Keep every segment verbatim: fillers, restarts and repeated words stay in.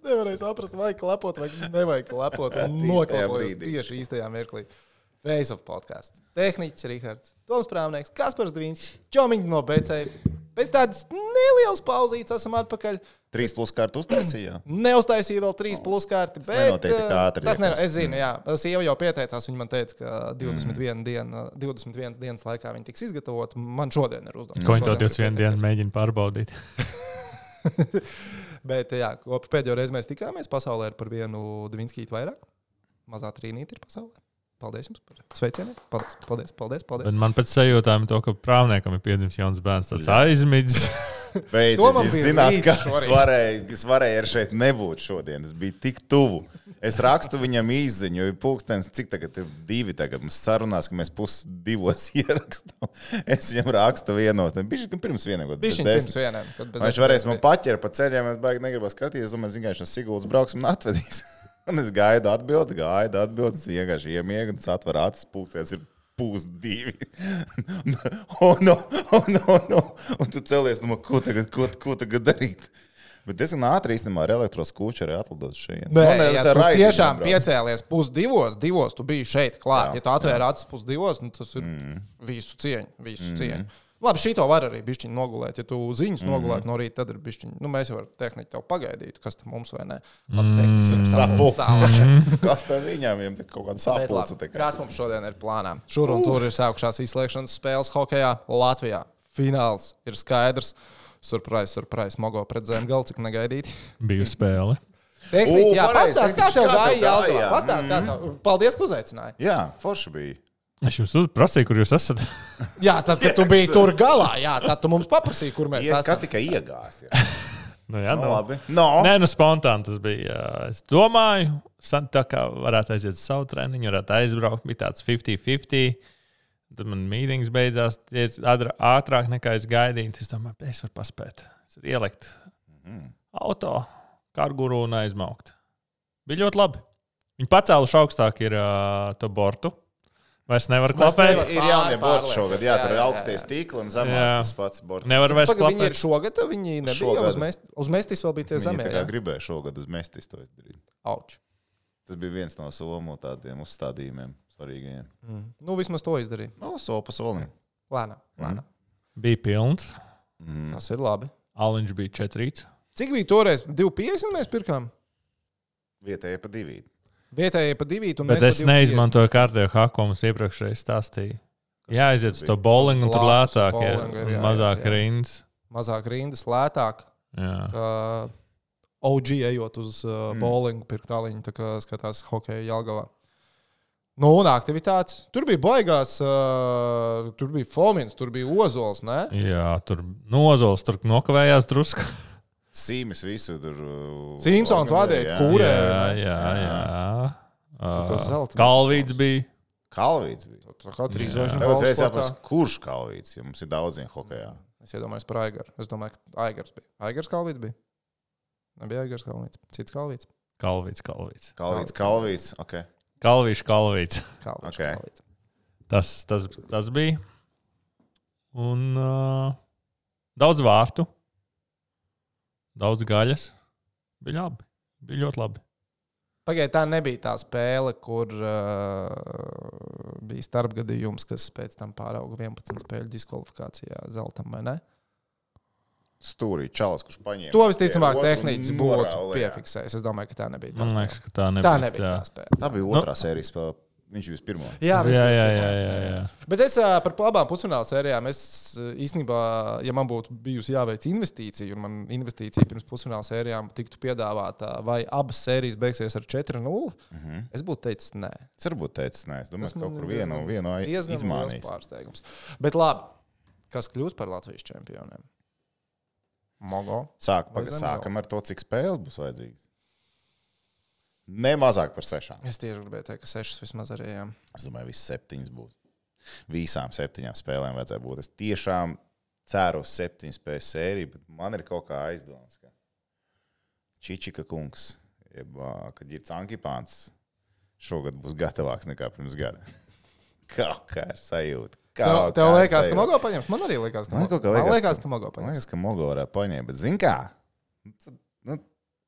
Nevarēja saprast, vai klepot, vai nevajag klepot. Noklapojas tieši īstajā mirklī. Face of podcasts. Tehniķis Rihards, Toms Prāvnieks, Kaspars Dvīnskis, Čomiņš no B C. Pēc tādas nelielas pauzītes esam atpakaļ. Trīs plus kārtu uztaisīja? Neuztaisīja vēl trīs plus kārti, bet... Tas nenotiek tik ātri. Tas nenotiek, es zinu, jā. Sieva jau pieteicās, viņa man teica, ka divdesmit viena diena, divdesmit vienas dienas laikā viņa tiks izgatavot. Man šodien ir uzdevums. Ko viņa to divdesmit vienu dienu mēģina pārbaudīt? Bet jā, kopš pēdējo reizi mēs tikāmies, pasaulē ir par vienu Dvīnskītu vairāk. Mazā trīnīte ir pasaulē. Paldies jums par sveicieniem. Paldies, paldies, paldies. paldies. Bet man pēc sajūtām to, ka Prāvniekam ir piedzimis jauns bērns, tāds aizmidzis. Beidziet, jūs zināt, ka es varēju, es varēju ar šeit nebūt šodien. Es biju tik tuvu. Es rakstu viņam īziņu, jo ir pulkstens, cik tagad ir divi tagad. Mums sarunās, ka mēs pus divos ierakstām. Es viņam rakstu vienos. Bišķi pirms vieniem. Bišķi pirms vieniem. Viņš varēs man paķert pa ceļiem, es baigi negribas skatīties. Es domāju, zin, ka viņš no Siguldas brauksim un atvedīs. Un es gaidu atbildi, gaidu atbildi, es vienkārši iemiegu un satver acis, pulkstens ir pūs divi. un, un, un, un, un tu celies, nu, ko tagad, ko, ko tagad darīt? Bet diezgan ātri īstenībā ar elektroskūču arī atlidot šeit. Nē, ja tu tiešām piecēlies pusdivos, divos, tu biji šeit klāt. Jā, ja tu atvēri acis pusdivos, nu, tas ir mm. visu cieņu, visu mm. cieņu. Labi, šī to var arī bišķiņ nogulēt. Ja tu ziņas mm. nogulēt no rīta, tad ir bišķiņ. Nu, mēs jau ar tehniku tev pagaidītu, kas tam mums vai ne. Mm. Sapulce. Kas tam viņām, viņam kaut kāda sapulce. Kas mums šodien ir plānā? Šur un tur ir sākušās izslēgšanas spēles hokejā Latvijā. Fināls ir skaidrs. Surprise, surprise. Mogo pret Zemgali, cik negaidīti. Biju spēle. Tehniski, jā, pastāst, kā tev gāja Jelgavā. Pastāst, kā tev. Paldies, ka uzaicināji. Jā, forši bija. Es jums prasīju, kur jūs esat. Jā, tad, kad tu biji tur galā, jā, tad tu mums paprasīji, kur mēs esam. Kā tikai iegāst. nu, jā, no, no. labi. No. Nē, nu spontāni tas bija. Es domāju, tā kā varētu aiziet savu treniņu, varētu aizbraukt, bija tāds fifty fifty. Tad man mītings beidzās ātrāk nekā es gaidīju. Es domāju, es varu paspēt. Es varu ielikt mm. auto, karguru un aizmaukt. Bija ļoti labi. Viņi pacēluši augstāk ir uh, to bortu. Vairs nevar klapēt. Ir jaunie borti šogad. Jā, tur ir augstie stīkli un zemāk tas pats borti. Nevar vairs klapēt. Viņi ir šogad, viņi nebija uz, mest, uz mestis vēl bija tie zemē. Viņi tā kā gribēja šogad uz mestis to izdarīt. Auč. Tas bija viens no somu tādiem uzstādījumiem svarīgajiem. Mm. Nu, vismaz to izdarīja. No, soli pa solim. Lēnā, lēnā. Mm. Bija pilns. Mm. Tas ir labi. Aliņš bija četrīts. Cik bija toreiz? divi piecdesmit mēs pirkām? Vietēji pa divīt. Vietējie pa divīt un bet es neizmantoju kārtējo haku, ko mums iepriekšreiz stāstīja. Jā, aiziet uz to bowlingu un tur lētāk ir ja, mazāk jā, jā. rindas. Mazāk rindas, lētāk. Jā. Kā O G ejot uz uh, mm. bowlingu, pirkt tāliņu, tā kā skatās hokeja Jelgavā. Nu, un aktivitātes. Tur bija baigās, uh, tur bija Fomins, tur bija Ozols, ne? Jā, tur nu, Ozols tur nokavējās drusku. Sīmis visu tur. Simpsons vadīja, kūrē. Jā, jā, jā. Uh, Kalvīts bija. Kalvīts bija. Tā kā trīs zvaigžņu balvas sportā. Jāpēc, kurš Kalvīts, ja mums ir daudzien hokejā? Es iedomājos par Aigaru. Es domāju, ka Aigars bija. Aigars Kalvīts bija? Nebija Aigars Kalvīts. Cits Kalvīts? Kalvīts, Kalvīts. Kalvīts, Kalvīts, ok. Kalvīš, Kalvīts. Kalvīš, okay. Kalvīts. Tas, tas, tas bija. Un uh, daudz vārtu. Daudz gaļas. Bija labi. Bija ļoti labi. Pagaid, tā nebija tā spēle, kur uh, bija starpgadījums, kas pēc tam pārauga vienpadsmit spēļu diskvalifikācijā zeltam, vai ne? Stūrī čalis, kurš paņēma. To visticamāk tehniķis būtu piefiksējis. Es domāju, ka tā nebija tā spēle. Man liekas, ka tā nebija. Tā nebija tā spēle. Tā bija otrā no. sērijas spēle. Viņš bija pirmo. Jā, jā, jā, jā, jā, jā. Bet es par abām pusfināla sērijām, es īstenībā, ja man būtu bijusi jāveic investīcija, un man investīcija pirms pusfināla sērijām tiktu piedāvāta, vai abas sērijas beigsies ar četri nulle, mm-hmm. es būtu teicis nē. Es arī būtu teicis nē. Es domāju, ka kaut kur vienu, vienu izmānīs. Pārsteigums. Bet labi, kas kļūs par Latvijas čempioniem? Mogo. Sāk, paga, sākam ar to, cik spēles būs vajadzīgas. Ne mazāk par sešām. Es tieši gribēju teikt, ka sešas vismaz arī, jā. Es domāju, visas septiņas būs. Visām septiņām spēlēm vajadzēja būt. Es tiešām ceru uz septiņu spēļu sēriju, bet man ir kaut kā aizdomas, ka Čičika kungs, jeb, kad ir Cankipāns, šogad būs gatavāks nekā pirms gada. Kaut kā ir sajūta. Tev, tev liekas, ka Mogo paņems? Man arī liekas, ka Mogo, liekas, man liekas, ka Mogo paņems. Man liekas, ka Mogo varētu paņemt, bet zin kā? Nu,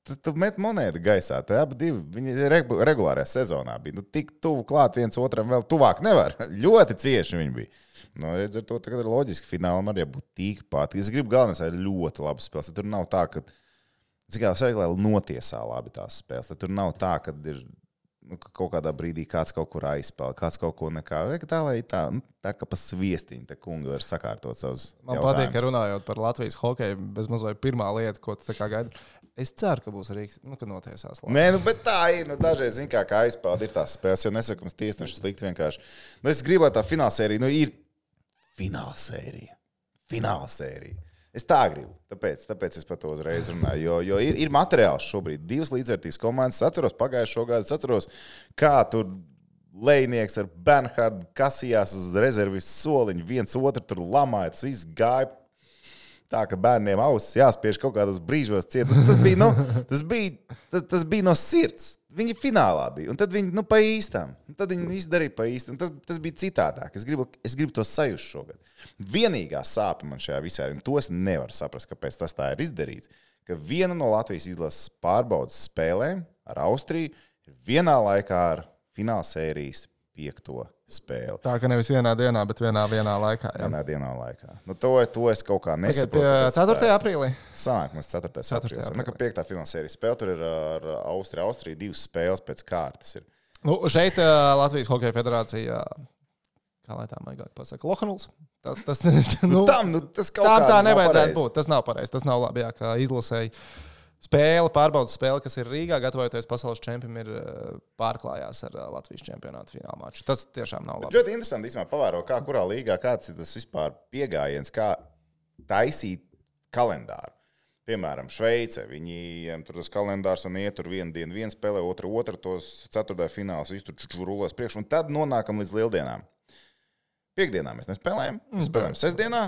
tas tu met monētu gaisā. Tā abi divi, viņi regulārajā sezonā bija. Nu, tik tuvu klāt viens otram vēl tuvāk nevar. Ļoti cieši viņi bija. Nu, redz, ar to tagad ir loģiski. Finālam arī būtu tikpat. Es gribu galvenais, lai ļoti labi spēles. Tur nav tā, ka, cik jau svarīgi, lai notiesā labi tās spēles. Tur nav tā, ka ir nu, kaut kādā brīdī kāds kaut kur aizspēlē, kāds kaut ko nekā. Vai tā, lai tā, nu, tā kā pa sviestiņu, te kungi var sakārtot savus Man jautājumus. Patīk, ka runājot par Latvijas hokeju, bezmaz vai pirmā lieta, ko tu tā kā gaidi. Es ceru, ka būs Rīgas, nu, ka notiesās. Labi. Nē, nu, bet tā ir. Nu, dažreiz, zin kā, kā aizpeld ir tās spēles, jo nesaku, mums tiesneši slikti vienkārši. Nu, es gribu, lai tā finālsērija, nu, ir finālsērija. Finālsērija. Es tā gribu, tāpēc, tāpēc es par to uzreiz runāju, jo, jo ir, ir materiāls šobrīd. Divas līdzvērtīgas komandas. Es atceros pagājušo gadu, es atceros, kā tur Lejnieks ar Bernhardu kasījās uz rezervis soliņu, viens otru tur lamāja, tas viss gāja tā, ka bērniem ausis jāspiež kaut kādos brīžos ciet. Tas bija, no, tas bija, tas, tas bija no sirds. Viņi finālā bija, un tad viņi nu, pa īstām. Un tad viņi izdarīja pa īstām. Tas, tas bija citādāk. Es gribu, es gribu to sajust šogad. Vienīgā sāpe man šajā visā ir, un to es nevaru saprast, kāpēc tas tā ir izdarīts, ka viena no Latvijas izlases pārbaudas spēlēm ar Austriju ir vienā laikā ar finālsērijas piekto spēli. Tā, ka nevis vienā dienā, bet vienā, vienā laikā. Jā. Vienā dienā laikā. Nu, to, to es kaut kā nesaprotu. Pie ceturtajā aprīlī? Sanāk, mums ceturtajā aprīlī. Nu, ka piektā finālsērijas spēle, tur ir ar Austriju. Austrija divas spēles pēc kārtas ir. Nu, šeit uh, Latvijas Hokeja federācija, kā lai tā maigāk pasaka, Lohanuls. Tas, tas, nu, tam, nu, tas kaut tā, tā nevajadzētu pareizi. būt. Tas nav pareizi. Tas nav labi, jā, kā izlasēji. Spēle, pārbaudas spēle, kas ir Rīgā, gatavojoties pasaules čempionam, ir pārklājās ar Latvijas čempionātu fināla maču. Tas tiešām nav labi. Ļoti interesanti, īstenībā, pavēro, kā kurā līgā, kāds ir tas vispār piegājiens, kā taisīt kalendāru. Piemēram, Šveice, viņiem tur tas kalendārs un iet tur vienu dienu, vienu spēlē, otru, otru, tos ceturtajā fināls, visu tur rulēs priekš, un tad nonākam līdz lieldienām. Piekdienā mēs nespēlējam, mēs spēlējam sestdienā,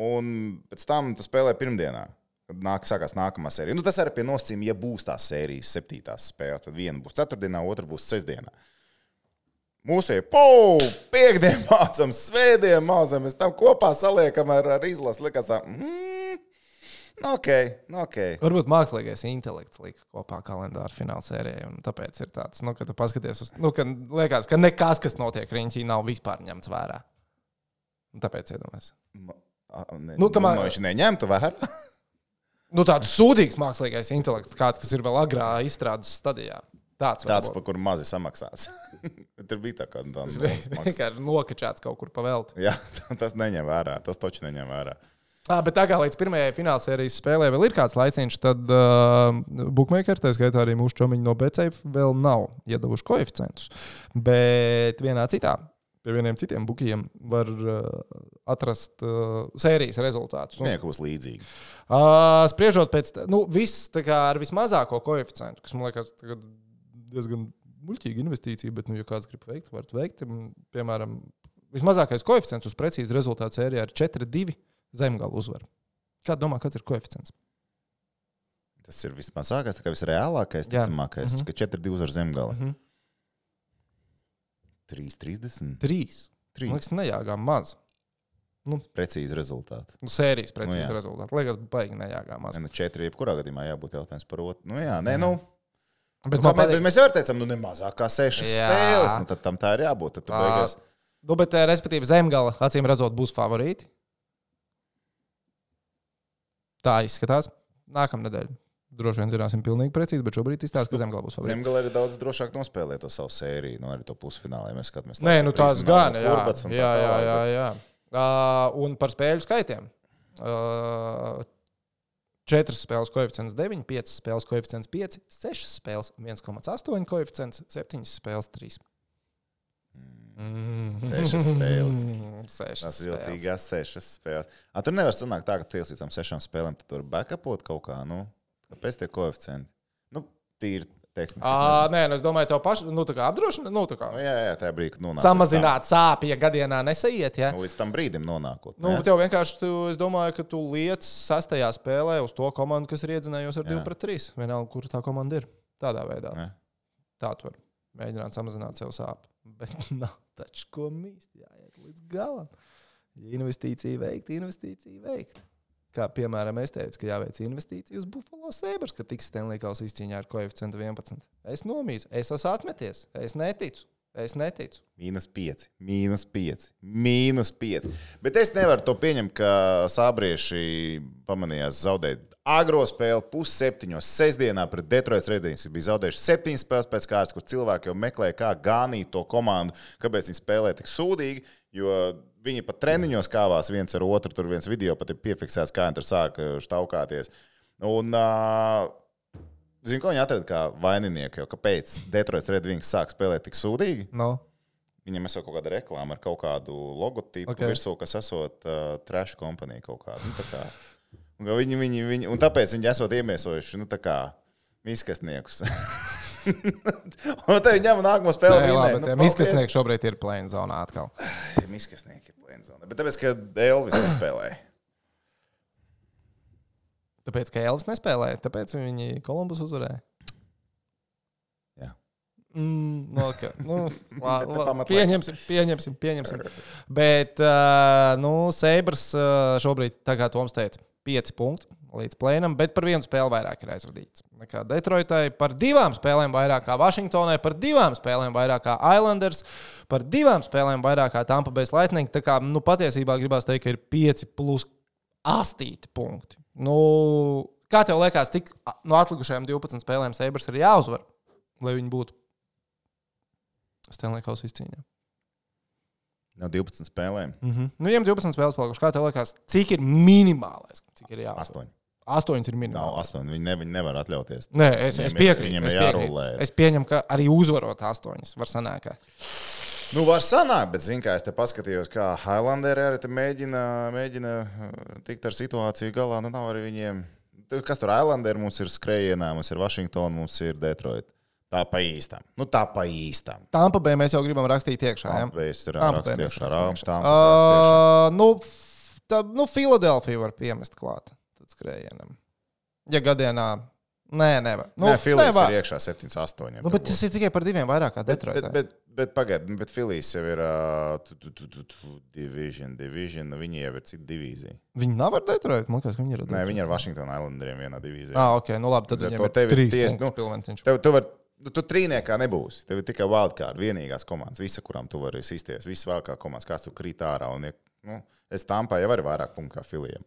un pēc tam tu spēlē pirmdienā. Kad nāk, sākās nākamā sērija. Nu, tas arī pie nosacījuma, ja būs tās sērijas septītās spēles, tad viena būs ceturtdienā, otra būs sestdienā. Mūsu ir, pou, piekdien mācam, svētdien mācam, mēs tam kopā saliekam ar, ar izlasu. Likās tā, mm, nu ok, nu ok. Varbūt mākslīgais intelekts lika kopā kalendāru fināla sērijai, un tāpēc ir tāds, nu, ka tu paskaties uz, nu, ka liekas, ka nekas, kas notiek riņķī, nav vispār ņemts vērā. Un tāpēc iedomājas. Ma, ne, nu, ka man... nu, viņš neņemtu vērā. Nu, tāds sūdīgs mākslīgais intelekts, kāds, kas ir vēl agrā izstrādes stadijā. Tāds, tāds par kuru mazi samaksāts. Tur bija tā kā tā vienkārši nokačāts kaut kur pa velti. Jā, tas neņem vērā. Tas taču neņem vērā. À, bet tā kā līdz pirmajai finālsērijas spēlē vēl ir kāds laiciņš, tad uh, bookmakeri, tā skaitā arī mūsu čomiņi no Betsafe, vēl nav iedavuši koeficientus. Bet vienā citā, pie vieniem citiem bukijiem var uh, atrast uh, sērijas rezultātus. Viņai būs līdzīgi. Uh, spriežot pēc, nu, viss tā kā ar vismazāko koeficientu, kas, man liekas, diezgan muļķīga investīcija, bet, nu, ja kāds grib veikt, varat veikt. Piemēram, vismazākais koeficients uz precīzu rezultātu sērijā ir četri divi zemgala uzvar. Kāds domā, kāds ir koeficients? Tas ir vismazākais, tā kā visreālākais, ticamākais, mm-hmm. ka četri divi uzvar zemgala. Mm-hmm. trīs trīsdesmit. trīs. Man liekas, nejāgām maz. Nu, precīzi rezultāti. Nu, sērijas precīzi nu, rezultāti. Liekas, baigi nejāgām maz. Ne, nu, četri, jebkurā gadījumā jābūt jautājums par otru. Nu, jā, nē, nu. Bet, nu, patīk... bet mēs jau teicām, nu, ne mazāk kā sešas jā. spēles. Nu, tad tam tā ir jābūt. Tad tu beigās... Nu, bet, respektīvi, zemgala, acīm redzot, būs favorīti. Tā izskatās. Nākamnedēļ. Droši vien zināsim pilnīgi precīzi, bet šobrīd izstāsta, ka zemgala būs favorīti. Zemgala ir daudz drošāk nospēlēt to savu sēriju, nu arī to pusfinālā, ja mēs skatāmies. Nē, nu tās gan, jā. Jā, jā, jā, jā. Uh, un par spēļu skaitiem. Uh, četras spēles koeficients deviņi, piecas spēles koeficients pieci, sešas spēles viens komats astoņi koeficients, septiņas spēles trīs. Mm. Sešas spēles. Sešas tas ir jūtīgās sešas spēles. A, tur nevar sanākt tā, ka tu ies līdz tam sešām spēlēm, tu tur backupot kaut kā, nu, kāpēc tie koeficienti? Nu, tīri tehniski. À, nē, nu es domāju, tev paši, nu, tā kā apdrošina, nu, tā kā. Nu, jā, jā, tajā brīdī, kad nonāk. Samazināt sāpi, ja gadienā nesaiet, ja? Nu, līdz tam brīdim nonākot. Nu, ne? Tev vienkārši, tu, es domāju, ka tu liec sastajā spēlē uz to komandu, kas ir iedzinējusi ar divi pret trīs. Vienalga, kur tā komanda ir. Tādā veidā. Jā. Tā tu var mēģināt samazināt sev sāpi. Bet nav taču ko mīst, jāiet līdz galam. Investīcija veikt, investīcija veikt. Kā piemēram, es teicu, ka jāveic investīcija uz Buffalo Sabres, ka tiks Stanley Kausa izcīņā ar koeficientu vienpadsmit. Es nomīzu, es esmu atmeties, es neticu. Es neticu. Mīnus pieci, mīnus pieci, mīnus pieci. Bet es nevaru to pieņemt, ka sābrieši pamanījās zaudēt agro spēli pusseptiņos sestdienā pret Detroit Red Wings. Bija zaudējuši septiņas spēles pēc kārtas, kur cilvēki jau meklēja, kā ganīt to komandu, kāpēc viņi spēlē tik sūdīgi, jo viņi pat treniņos kāvās viens ar otru, tur viens video pat ir piefiksēts, kā viņi tur sāk štaukāties. Un... Uh, Zinu, ko viņi atrada kā vaininieku, jo kāpēc Detroit Red Wings sāk spēlēt tik sūdīgi? No. Viņam esot kaut kāda reklāma ar kaut kādu logotipu okay. virsū, kas esot uh, trash kompanija kaut kāda. Nu, tā kā, un, viņi, viņi, viņi, un tāpēc viņi esot iemiesojuši, nu tā kā, miskastniekus. Un te viņi ņem nākamo spēli. Nē, labi, nu, miskastnieki šobrīd ir plēna zonā atkal. Miskastnieki ir plēna zonā. Bet tāpēc, ka Elvis nespēlēja. Tāpēc, ka Elvis nespēlēja, tāpēc viņi Kolumbus uzvarēja. Jā. Mm, no, okay. nu, la, la, pieņemsim, pieņemsim, pieņemsim. Bet, uh, nu, Sabres uh, šobrīd, tā kā Toms teica, pieci punkti līdz plēnam, bet par vienu spēli vairāk ir aizvadīts. Nekā Detroitai, par divām spēlēm vairāk kā Vašingtonai, par divām spēlēm vairāk kā Islanders, par divām spēlēm vairāk kā Tampa Bay Lightning. Tā kā, nu, patiesībā gribās teikt, ka ir pieci plus astīti punkti. Nu, kā tev liekas, cik no atlikušajām divpadsmit spēlēm Sabres ir jāuzvar, lai viņi būtu Stanley Kausa izcīņā? No divpadsmit spēlēm? Mm-hmm. Nu, viņiem divpadsmit spēles palikušas. Kā tev liekas, cik ir minimālais? Cik ir jāuzvar? Astoņi. Astoņas ir minimālais. Nav astoņi. Viņi, ne, viņi nevar atļauties. Nē, es, es piekrītu. Viņiem es, ir jārulē. es pieņemu, ka arī uzvarot astoņas var sanākt. Nu, var sanākt, bet, zin kā, es te paskatījos, kā Highlanderi arī te mēģina, mēģina tikt ar situāciju galā. Nu, nav arī viņiem... Kas tur Highlanderi? Mums ir skrējienā, mums ir Washington, mums ir Detroit. Tā pa īstām. Nu, tā pa īstām. Tampa Bay mēs jau gribam rakstīt iekšā, jā? Tampa Bay es ir rakstīt iekšā. Uh, nu, tā, nu, Philadelphia var piemest klāt tad skrējienam. Ja gadienā... Nē, nevar. Nu, Nē, Phillies ir iekšā septiņi astoņi. Nu, bet tas ir tikai par diviem vairāk kā Detroit. Bet, bet, bet, bet pagaid, bet Phillies jau ir uh, tu, tu, tu, tu, tu, division, division, viņi jau ir cita divīzija. Viņi nav ar Detroit? Man liekas, viņi ir ar Detroit. Nē, viņi ir ar Washington Islanderiem vienā divīzijā. Ah, ok, nu labi, tad viņiem ir trīs punktus nu, pilventiņš. Tev, tu, var, tu, tu trīniekā nebūsi. Tev ir tikai wildcard, vienīgās komandas, visa, kurām tu vari sisties, visas vēl kā komandas, kāds tu krīt ārā. Un, nu, es Tampā jau arī vairāk punktu kā Phillyiem.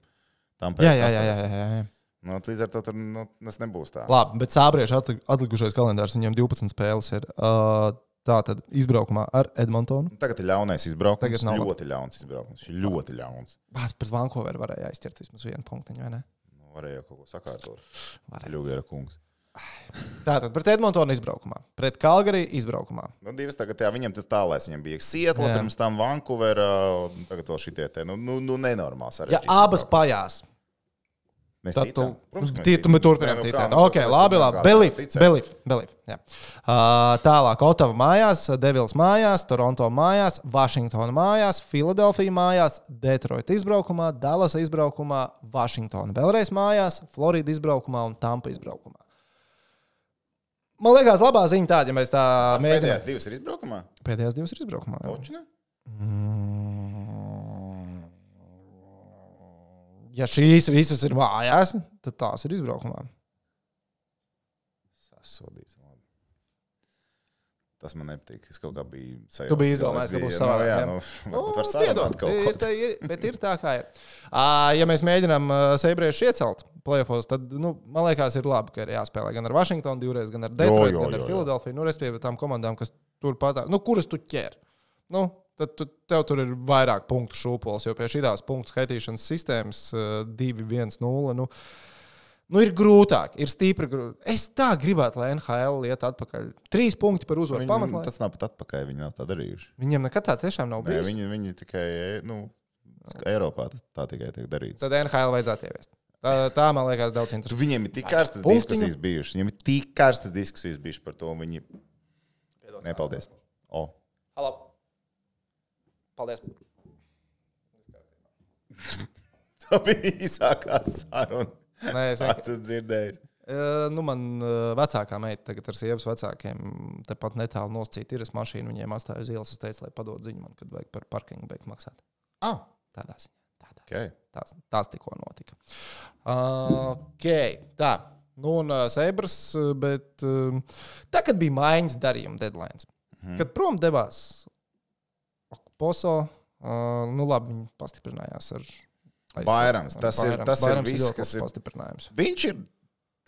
Jā, jā, jā, jā, jā, jā. Nu, līdz ar to tur, nu, tas nebūs tā. Labi, bet sābrieši atlikušais kalendārs, viņiem divpadsmit spēles ir uh, tā tad izbraukumā ar Edmontonu. Tagad ir ļaunais izbraukums, ļoti ļauns izbraukums. Šis ļoti ļauns. Bāc, pret Vancouveru varēja aizķert vismaz vienu punktiņu, vai ne? Nu, varēja jau kaut ko sakārtot. Ļuviera kungs. Tātad pret Edmontonu izbraukumā, pret Calgary izbraukumā. Nu, divas tagad, jā, viņam tas tālais, viņam bija Seattle, pirms tam Vancouvera, tagad vēl šitie te, nu, nu, nu nenormāls sarežģīts. Ja abas pajās. Mēs Tad ticam. tu, Protams, tu, tu turpinām nu, ticēt. kā, Ok, labi, labi. Belief, belief, belief. Jā. Uh, tālāk, Ottava mājās, Devils mājās, Toronto mājās, Washington mājās, Philadelphia mājās, Detroit izbraukumā, Dallas izbraukumā, Washington vēlreiz mājās, Florida izbraukumā un Tampa izbraukumā. Man liekas, labā ziņa tāda, ja mēs tā mēģinām. Pēdējās divas ir izbraukumā? Pēdējās divas ir izbraukumā. Točne? Ja šīs visas ir mājās, tad tās ir izbraukumā. Sasodīts. Tas man nepatīk. Es kaut kā biju sajūta. Tu biji izdomājis, ka būs savādāk. Jā, nu, varbūt var sarunāt kaut ko. Ir, ir, bet ir tā, kā ir. Ja mēs mēģinām Sabrešu iecelt play-offos, tad, nu, man liekas, ir labi, ka ir jāspēlē gan ar Washingtonu divreiz, gan ar Detroit, jo, jo, gan ar Philadelphia. Nu, respektīvi tām komandām, kas tur patā, nu, kuras tu ķer. Nu, tad tu, tev tur ir vairāk punktu šūpols, jo pie šitās punktu skaitīšanas sistēmas divi viens nulle, nu, nu, ir grūtāk, ir stīpri grūtāk. Es tā gribētu, lai N H L iet atpakaļ. Trīs punkti par uzvaru pamatlaiku. Tas nav pat atpakaļ, viņi nav tā darījuši. Viņiem nekad tā tiešām nav bijis. Nē, viņi, viņi tikai, nu, Eiropā tas tā tikai tiek darīts. Tad N H L vajadzētu ieviest. Tā, tā man liekas daudz interesantāka. Viņiem ir tik karstas diskusijas bijušas. Viņiem ir tik karstas diskusijas bijušas par to. Viņi... Nepaldies. O. Halo. Paldies. Tā bija īsākā saruna. Nē, es esmu dzirdējis. Uh, nu, man uh, vecākā meita tagad ar sievas vecākiem tepat netālu noscīt ir es mašīnu, viņiem atstāju uz ielas, es teicu, lai padod ziņu man, kad vajag par parkingu beigt maksāt. Ah. Tādā ziņā. Okay. Tas, tas tikko notika. Uh, ok, tā. Nu, un uh, Sabres, bet uh, tā, kad bija maiņas darījuma deadlines, mm-hmm. kad prom devās Poso, uh, nu labi, viņi pastiprinājās ar Bairams. Tas, ar ir, Bairams. tas Bairams ir viss, ir kas ir pastiprinājums. Viņš ir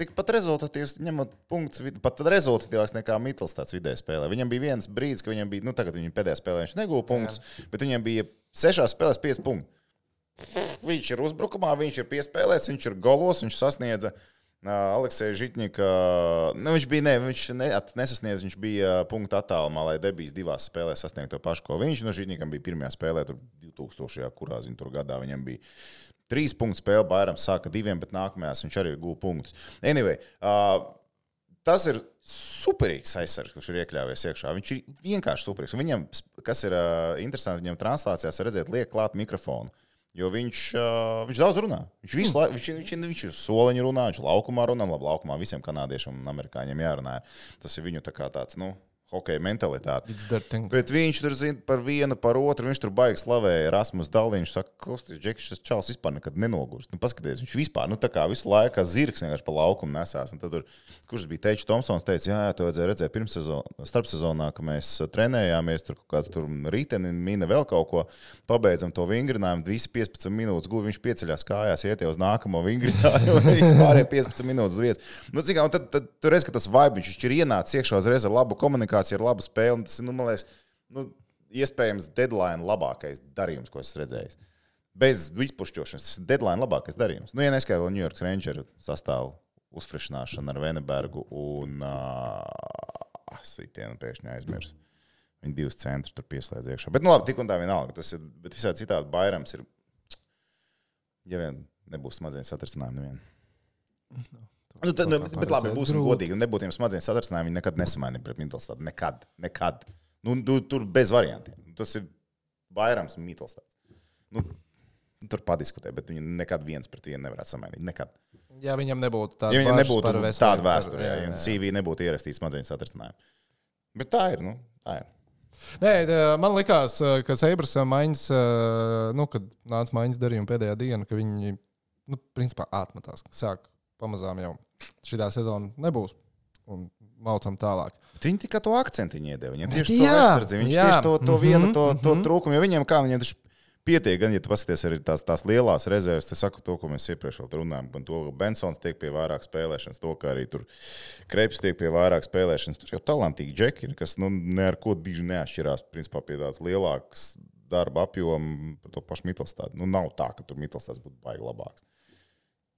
tikpat rezultatīvs, ņemot punktus, pat rezultatīvāks nekā Mittelstāds vidēji spēlē. Viņam bija viens brīdis, ka viņam bija, nu tagad viņa pēdējā spēlē viņš negūja punktus, Jā. bet viņam bija sešās spēlēs pieci punkti. Viņš ir uzbrukumā, viņš ir piespēlēs, viņš ir golos, viņš sasniedza uh, Alekseja Žitņika. Nu, viņš bija, ne, viņš ne, nesasniedz, viņš bija punktu attālumā, lai debijas divās spēlēs sasniegt to pašu, ko viņš. No Žitņikam bija pirmajā spēlē, tur divtūkstošajā, kurā zin, tur gadā viņam bija trīs punktu spēle, Bairams sāka diviem, bet nākamajās viņš arī gūja punktus. Anyway, uh, tas ir superīgs aizsargs, kurš ir iekļāvies iekšā. Viņš ir vienkārši superīgs. Un viņam, kas ir uh, interesanti, viņam translācijās redzēt, liek klāt mikrofonu. Jo viņš, uh, viņš daudz runā. Viņš visu laiku, viņš, viņš, viņš ir soliņu runā, viņš laukumā runā, labi, laukumā visiem kanādiešiem un amerikāņiem jārunā. Tas ir viņu tā kā tāds, nu, hokeja mentalitāte. Bet viņš tur zina par vienu, par otru, viņš tur baigi slavēja Rasmus Daliņš, saka, klausties, Džekis, šis čals vispār nekad nenogurst. Nu, paskaties, viņš vispār, nu, tā kā visu laiku zirgs vienkārši pa laukumu nesās. Un tad tur, kurš bija Teičs Tomsons, teica, jā, jā, to vajadzēja redzēt pirmssezonā, starpsezonā, ka mēs trenējāmies, tur kaut kāds tur riteni, mina vēl kaut ko, pabeidzam to vingrinājumu, visi piecpadsmit minūtes guvi, viņš pieceļās kājās, iet jau uz nākamo vingrinājumu, un vispārēja piecpadsmit minūtes uz vietas. Nu, cik, un tad, tad tu redz, ka tas vibe, viņš ir ienācis iekšā uzreiz ar labu komunikāciju, ir laba spēle, un tas ir, nu, man liekas, nu, iespējams deadline labākais darījums, ko esmu redzējis. Bez izpušķošanas, tas ir deadline labākais darījums. Nu, ja neskaidro New York Rangeru sastāvu uzfrešināšanu ar Venebergu un uh, Sītienu pēkšņi aizmirs. Viņi divas centri tur pieslēdz iekšā. Bet, nu, labi, tik un tā vienalga. Tas ir, bet visādi citādi Bairams ir, ja vien nebūs smadzeņu satricinājumi nevien. No. Nu, tad, nu, bet labi, būsim godīgi, un nebūtu tiem smadzeņu satricinājumi, viņi nekad nesamainīja pret Mittelstādu. Nekad, nekad. Nu, tu, tur bez variantiem. Tas ir Bairams un Mittelstāds. Nu, tur padiskutē, bet viņi nekad viens pret vienu nevarētu samainīt. Nekad. Ja viņam nebūtu tāda ja viņam nebūtu par veselību. Tāda vēsture, ja viņam C V nebūtu ierakstīts smadzeņu satricinājumi. Bet tā ir, nu, tā ir. Nē, man likās, ka Sabres maiņas, nu, kad nāca maiņas darījuma pēdējā diena, ka viņi, nu, principā atmetās, sāk pamazām jau šitā sezona nebūs un maucam tālāk. Bet viņi tikai to akcentiņu iedeva. Viņam tieši jā, to aizsardzi, viņš jā. tieši to, to mm-hmm, vienu, to, to mm-hmm. trūkumu, jo viņiem kā viņiem taču pietiek, gan, ja tu paskaties arī tās, tās lielās rezerves, te saku to, ko mēs iepriekš vēl runājam, un to, ka Bensons tiek pie vairāk spēlēšanas, to, ka arī tur Kreips tiek pie vairāk spēlēšanas, tur jau talantīgi džeki ir, kas, nu, ne ar ko diži neatšķirās, principā pie tāds lielāks darba apjomu par to pašu Mittelstādu. Nu, nav tā, ka tur Mittelstāds būtu baigi labāks.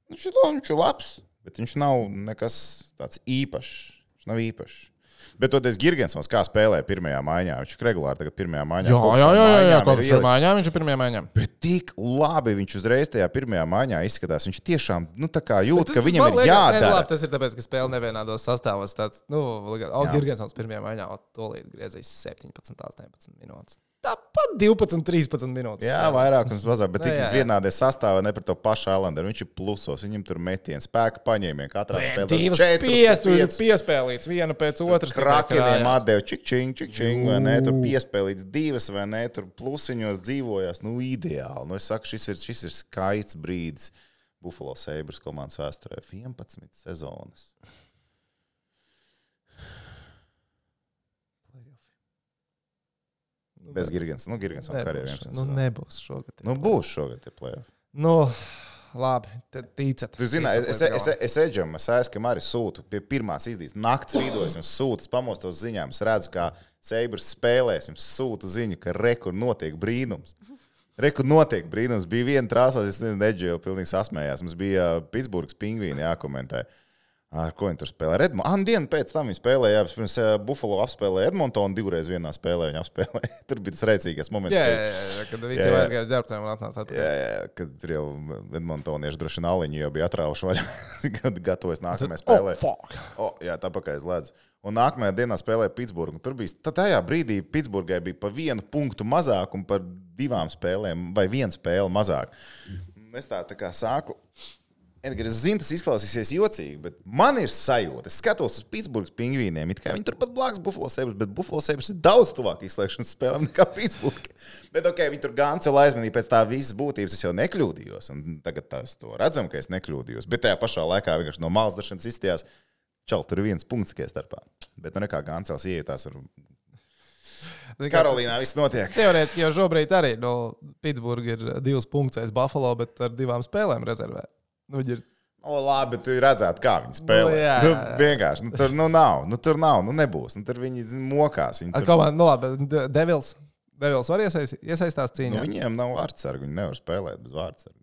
Viņš ir, viņš ir labs, bet viņš nav nekas tāds īpašs. Viņš nav īpašs. Bet toties Girgensons kā spēlē pirmajā maiņā. Viņš ir regulāri tagad pirmajā maiņā. Jā, jā, jā, jā, jā kopš maiņā viņš ir pirmajā maiņā. Bet tik labi viņš uzreiz tajā pirmajā maiņā izskatās. Viņš tiešām, nu tā kā jūt, ka viņam ir jādara. Labi, tas ir tāpēc, ka spēle nevienādos sastāvos. Tāds, nu, o, Girgensons pirmajā maiņā tolīt griezīs septiņpadsmit, astoņpadsmit minūtes. Tāpat divpadsmit, trīspadsmit minūtes. Jā, vairāk un mazāk, bet tik vienādē sastāvā ne par to pašu Islanderu. Viņš ir plusos, viņam tur metieni, spēka paņēmieni, katrā spēlē. Divas piespēlītas, piespēlītas, viena pēc otras. Krakeniem atdeva čik-čing, čik-čing, vai ne, tur piespēlītas divas, vai ne, tur plusiņos dzīvojās, nu, ideāli. Nu, es saku, šis ir, šis ir skaists brīdis Buffalo Sabres komandas vēsturē. vienpadsmit sezonas. Bez Girgensona. Nu, Girgensona karjeriem. Nu, nebūs šogad. Nu, būs šogad tie play-off. Nu, labi, ticat. Tu zini, es, es, es Edžam, es aizskam arī sūtu pie pirmās izdīs. Nakts vidos jums sūtu, pamostos ziņām. Es redzu, kā Sabres spēlēs, jums sūtu ziņu, ka rekur notiek brīnums. Rekur notiek brīnums. Bija viena trāsās, es nezinu, Edži jau pilnīgi sasmējās. Mums bija Pitsburgas pingvīni jākomentē. Ar ko viņi tur spēlē? Redmond. Ah, dienu pēc tam viņi spēlēja. Pirms Buffalo apspēlēja Edmontonu, divreiz vienā spēlē viņa apspēlēja. Tur bija tas rēcīgais moments. Jā, jā, jā, kad visi jau aizgājas ģērbtēm un atnāca atpakaļ. Jā, jā, kad tur jau Edmontonieši droši nāliņu jau bija atrauši vaļā, kad gatavojas nākamajai spēlē. Oh, fuck! Oh, jā, tā pakaļ slēdz. Un nākamajā dienā spēlēja Pitsburgu. Tur bija, tad tajā brīdī Pitsburgai bija pa vienu punktu mazāk un par divām spēlēm vai vienu spēli mazāk. Es tā, tā kā sāku Edgars, es zinu, tas izklausīsies jocīgi, bet man ir sajūta. Es skatos uz Pitsburgas pingvīniem, it kā viņi turpat blakus Buffalo Sabres, bet Buffalo Sabres ir daudz tuvāk izslēgšanas spēlēm nekā Pitsburga. Bet ok, viņi tur gan vēl aizmanīja pēc tā visas būtības, es jau nekļūdījos. Un tagad es to redzam, ka es nekļūdījos. Bet tajā pašā laikā vienkārši no malas dažšanas izstījās, čal, tur ir viens punkts tikai starpā. Bet nu nekā Gancels iejūtās ar... Karolīnā viss notiek. Teorētiski jau šobrīd arī no Pitsburga ir divas punkts aiz Buffalo, bet ar divām spēlēm rezervē. Nu, ir... O, labi, bet tu redzētu, kā viņi spēlē. Nu, jā, jā, jā. Nu, vienkārši, nu, tur nu, nav, nu, tur nav, nu, nebūs. Nu, tur viņi mokās. Viņi tur... Komanda, nu, labi, Devils, Devils var iesaist, iesaistās cīņā? Nu, viņiem nav vārdsargu, viņi nevar spēlēt bez vārdsargu.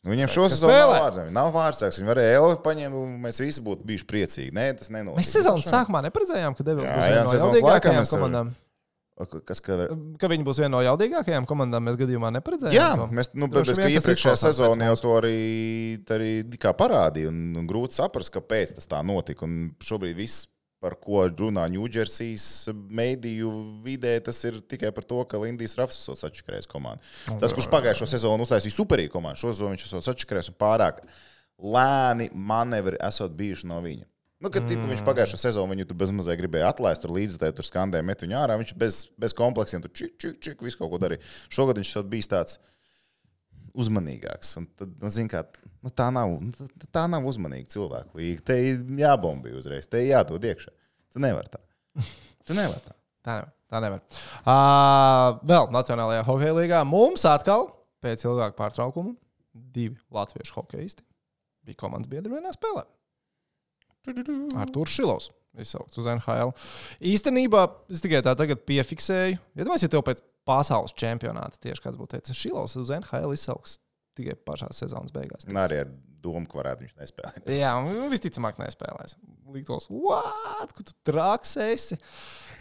Nu, viņiem šo sezonu nav vārdsargu, nav vārdsargs. Viņi varēja Elvi paņemt, un mēs visi būtu bijuši priecīgi. Nē, tas nenotiek. Mēs sezonas sākumā neparedzējām, ka Devils jā, būs viena no jaudīgākajām komandām. Kas, ka... ka viņi būs viena no jaudīgākajām komandām, mēs gadījumā neparedzējām. Jā, mēs, nu, bet bez, ka iepriekšējā sezonā jau to arī, arī kā parādīja, un, un grūti saprast, kāpēc tas tā notika. Un šobrīd viss, par ko runā Ņūdžersijas mediju vidē, tas ir tikai par to, ka Lindijs Rafs esot sačakarējis komandu. Tas, kurš pagājušo sezonu uztaisīja superīgu komandu, šo sezonu viņš esot sačakarējis un pārāk lēni manevri esot bijuši no viņa. Nu, kad tipu, viņš pagājušo sezonu viņu tur bezmazliet gribēja atlaist, tur līdzutēji tur skandēja, met viņu ārā, viņš bez, bez kompleksiem tur čik, čik, čik, visu kaut ko darīja. Šogad viņš bijis tāds uzmanīgāks. Un tad, nu, zin kā, nu, tā nav, tā nav uzmanīga cilvēku līga. Te jābombī uzreiz, te jādod iekšā. Tu nevar tā. Tu nevar tā. Tā nevar. Tā nevar. Uh, vēl Nacionālajā hokeja līgā mums atkal pēc ilgāka pārtraukuma divi latviešu hokeisti bija komandas biedri vienā spēlē. Artūrs Šilovs izsaukts uz N H L. Īstenībā es tikai tā tagad piefiksēju. Iedomājies, ja tev pēc pasaules čempionāta tieši kāds būtu teicis, Šilovs uz N H L izsauks tikai pašā sezonas beigās. Un arī ar domu, ka varētu viņš nespēlēt. Jā, un visticamāk nespēlēs. Liktos, what? Ka tu traks esi?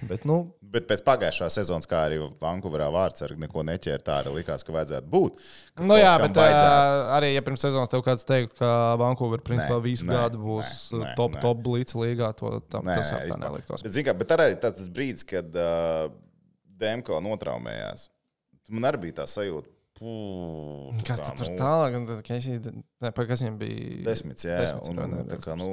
Bet, nu... Bet pēc pagājušā sezonas, kā arī Vankūverā vārdsargi neko neķēra, tā arī likās, ka vajadzētu būt. Ka nu jā, bet uh, arī, ja pirms sezonas tev kāds teikt, ka Vankūver principā visu nē, gadu būs nē, top, nē. top blitz līgā, to tam, nē, tas tā neliktos. Bet, zin kā, bet arī tas brīdis, kad uh, Demko notraumējās, man arī bija tā sajūta, Pū, kas tā, tur nu, tālāk? Kas, ne, kas viņam bija? Desmits, jā. Desmits, un, un, tā kā, nu,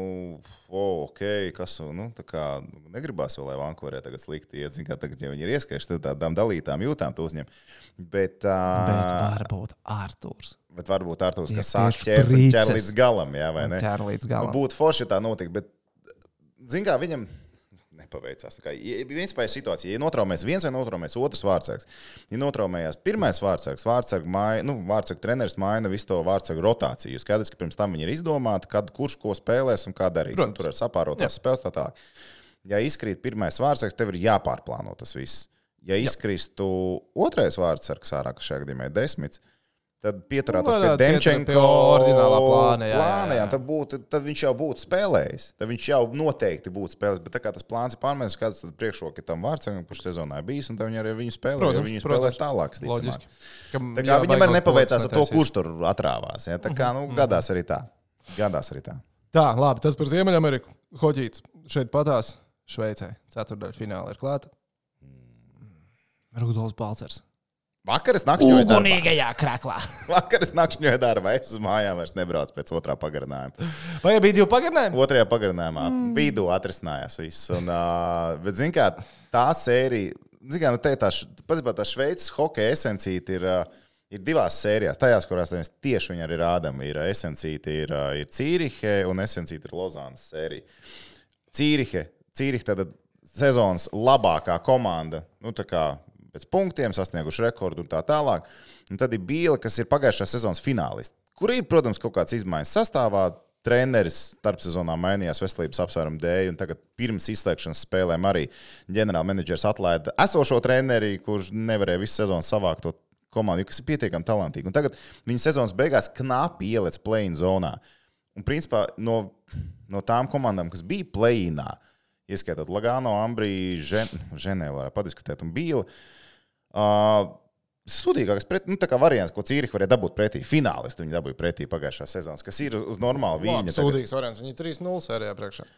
oh, ok, kas, nu, tā kā, negribās vēl, lai Vankūverē tagad slikti iet. Zin kā, tagad, ja viņi ir ieskajuši, tad tādām dalītām jūtām tu uzņem. Bet, uh, bet varbūt Artūrs. Bet varbūt Artūrs, kas sāk ķēr, ķēr līdz galam, jā, vai ne? Ķēr līdz galam. Nu, būtu forši tā notika, bet, zin kā, viņam... Nepaveicās. Tā kā, ja principā ir situācija, ja notraumēs viens vai notraumēs otrs vārdsargs, ja notraumējās pirmais vārdsargs, vārdsargu maina, nu, vārdsargu treneris maina visu to vārdsargu rotāciju. Skaidrs, ka pirms tam viņi ir izdomāti, kad kurš ko spēlēs un kā darīs. Nu, tur ar sapārotās spēles tā tā. Ja izkrīt pirmais vārdsargs, tev ir jāpārplāno tas viss. Ja izkristu otrais vārdsargs ārā, kas šajā gadījumā ir desmits, tad pieturētos pie Demčenko ordinālā plāna. Jā, plāna jā, jā. Tad, būtu, tad viņš jau būtu spēlējis. Tad viņš jau noteikti būtu spēlējis. Bet tā kā tas plāns ir pārmērs, kāds tad priekšroka tam vārdsargam, kurš sezonā ir bijis, un tad viņi arī viņu spēlē. Protams, viņu spēlēs tālāk. Loģiski. Tā kā viņam arī nepaveicās ar to, kurš tur atrāvās. Ja? Tā kā, nu, gadās arī tā. Gadās arī tā. Tā, labi, tas par Ziemeļameriku. Hoģīts šeit patās Šveicē. Ceturtdaļa fināla ir klāta. Rudolfs Balcers. Vakar es nakšņoju darbā. Ugunīgajā kraklā. Vakar es nakšņoju darbā. Es uz mājām vairs nebraucu pēc otrā pagarinājuma. Vai bija divi pagarinājumi? Otrajā pagarinājumā mm. vidū atrisinājās viss. Un, uh, bet, zin kā, tā sērija, zin kā, nu te tā, patiesībā tā Šveices hokeja esencīte ir, uh, ir divās sērijās. Tajās, kurās mēs tieši viņi arī rādam, ir esencīte, ir, uh, ir Cīrihe un esencīte ir Lozānas sērija. Cīrihe, Cīrihe tad sezonas labākā komanda, nu tā kā pēc punktiem, sasnieguši rekordu un tā tālāk. Un tad ir Bīle, kas ir pagājušā sezonas finālisti, kur ir, protams, kaut kāds izmaiņas sastāvā. Treneris starpsezonā mainījās veselības apsvērumu dēļ, un tagad pirms izslēgšanas spēlēm arī ģenerālmenedžers atlaida esošo treneri, kurš nevarēja visu sezonu savākt to komandu, kas ir pietiekami talantīgi. Un tagad viņa sezonas beigās knapi ielec play-in zonā. Un principā no, no tām komandām, kas bija play-inā, ieskaitot Lagano, Ambrī, Žen, Ženēvu varētu padiskutēt un Bīli, Uh, sudīgākais pret, nu, tā kā variants, ko Cīrihi varēja dabūt pretī. Finālisti viņi dabūja pretī pagājušā sezonas, kas ir uz normālu viņu. Sudīgs variants, viņi trīs nulle sērijā priekšā.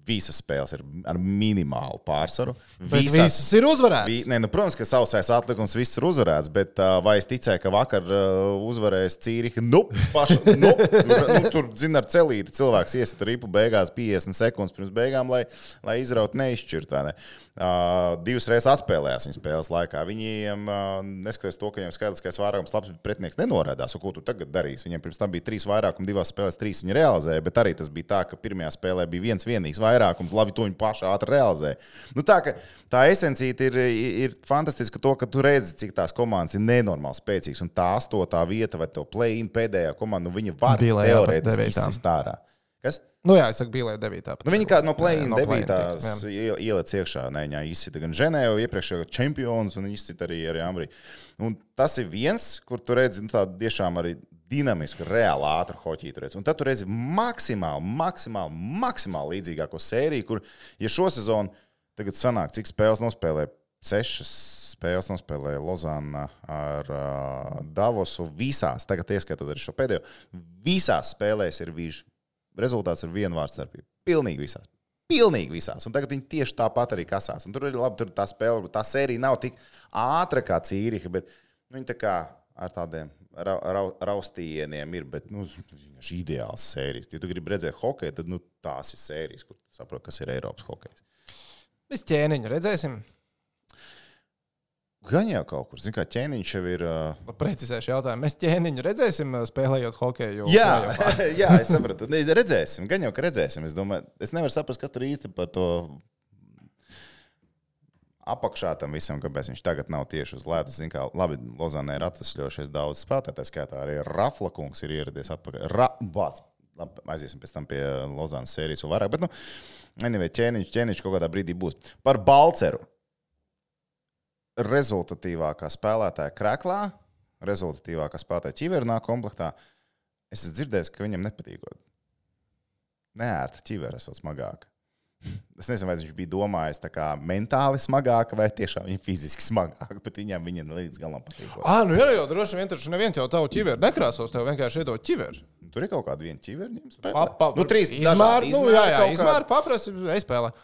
Visas spēles ir ar minimālu pārsvaru. Bet visas, visas ir uzvarētas. Vi, ne, nu, protams, ka sausais atlikums viss ir uzvarēts, bet uh, vai es ticēju, ka vakar uh, uzvarēs Cīriha? Nu, paša, nu, tur, nu, tur zina, ar celīti cilvēks iesita ripu beigās piecdesmit sekundes pirms beigām, lai, lai izraut neizšķirt, vai ne? Uh, divas reizes atspēlējās viņa spēles laikā. Viņiem, uh, neskatoties to, ka viņiem skaidriskais vairākums labs, bet pretinieks nenorādās, un ko tu tagad darīsi. Viņiem pirms tam bija trīs vairākumi, divās spēlēs trīs viņi realizēja, bet arī tas bija tā, ka pirmajā spēlē bija viens vienīgs vairākums, labi, to viņi paši ātri realizēja. Nu, tā, ka tā esencīte ir, ir fantastiska to, ka tu redzi, cik tās komandas ir nenormāli spēcīgas, un tā astotā vieta vai to play-in pēdējā komanda, nu, viņa var teorētiski izsist ārā. Kas? Nu jā, es saku, bija devītā. Nu, viņi kā no play-in no devītās ieliec iekšā. Ne, viņa izsita gan Ženēvu, iepriekšējo čempions, un viņa izsita arī, arī Ambrī. Un tas ir viens, kur tu redzi nu, tādu tiešām arī dinamisku, reāli ātru hoķītu redzi. Un tad tu redzi maksimāli, maksimāli, maksimāli līdzīgāko sēriju, kur, ja šo sezonu tagad sanāk, cik spēles nospēlē, sešas spēles nospēlēja Lozana ar uh, Davosu visās, tagad ieskaitot arī šo pēdējo, visās spēlēs ir vīži. Rezultāts ir viena vārds starpība. Pilnīgi visās. Pilnīgi visās. Un tagad viņi tieši tāpat arī kasās. Un tur ir labi, tur tā spēle, tā sērija nav tik ātra kā Cīriha, bet viņi tā kā ar tādiem ra, ra, raustījieniem ir, bet, nu, šī ideāls sērijas. Ja tu gribi redzēt hokeju, tad, nu, tās ir sērijas, kur tu saproti, kas ir Eiropas hokejs. Mēs ķēniņu redzēsim. Gan jau kaut kur. Zini, kā ķēniņš jau ir... Uh... Precizēšu jautājumu. Mēs ķēniņu redzēsim, spēlējot hokeju? Jā, jā, es sapratu. Redzēsim. Gan jau, ka redzēsim. Es domāju, es nevaru saprast, kas tur īsti par to apakšā tam visam, kāpēc viņš tagad nav tieši uz ledus. Zini, kā labi, Lozanē ir atvesļojušies daudz spēlētāju, skaitā arī Rafla kungs ir ieradies atpakaļ. Ra... Bāc. Labi, aiziesim pēc tam pie Lozanas sērijas vēl vairāk. Bet, nu, anyway, ķēniņš, ķēniņš kaut kādā brīdī būs. Par Balceru. Rezultatīvākā spēlētāja Kreklā, rezultatīvākā spēlētāja Ķivernā komplektā. Es esmu dzirdējis, ka viņam nepatīkot. Neērta ķivera esot smagāka. Es nezinu, vai viņš bija domājis tā kā mentāli smagāka vai tiešām viņa fiziski smagāka, bet viņam viņa līdz galam patīkot. Ā, nu jā, jau droši vien, taču neviens jau tavu ķiveru nekrāsos, tev vienkārši iedod ķiveru. Tur ir kaut kāda viena ķivera viņam spēlē. Pa, pa, nu, trīs izmēri, dažādi. Nu, jā, jā, izmēri, paprasi, espēlē.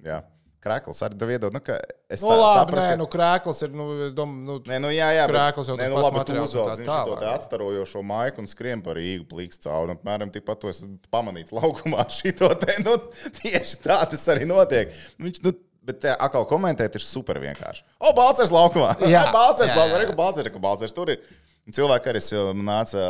Jā. Krēkls arī tev iedod, nu, ka es tā nu, labi, sapratu, nē, ka... nu, krēkls ir, nu, es domāju, nu, nē, nu, jā, jā, krēkls jau nē, tas nu, pats labi, materiāls. Tu uzvelc, viņš to te atstarojošo maiku un skrien par īgu plīks cauri. Apmēram tikpat to es pamanīts laukumā šito te, nu, tieši tā tas arī notiek. Viņš, nu, bet te atkal komentēt ir super vienkārši. O, Balcers laukumā! Jā, Balcers laukumā, reku Balcers, reku Balcers, tur ir. Cilvēki arī nāca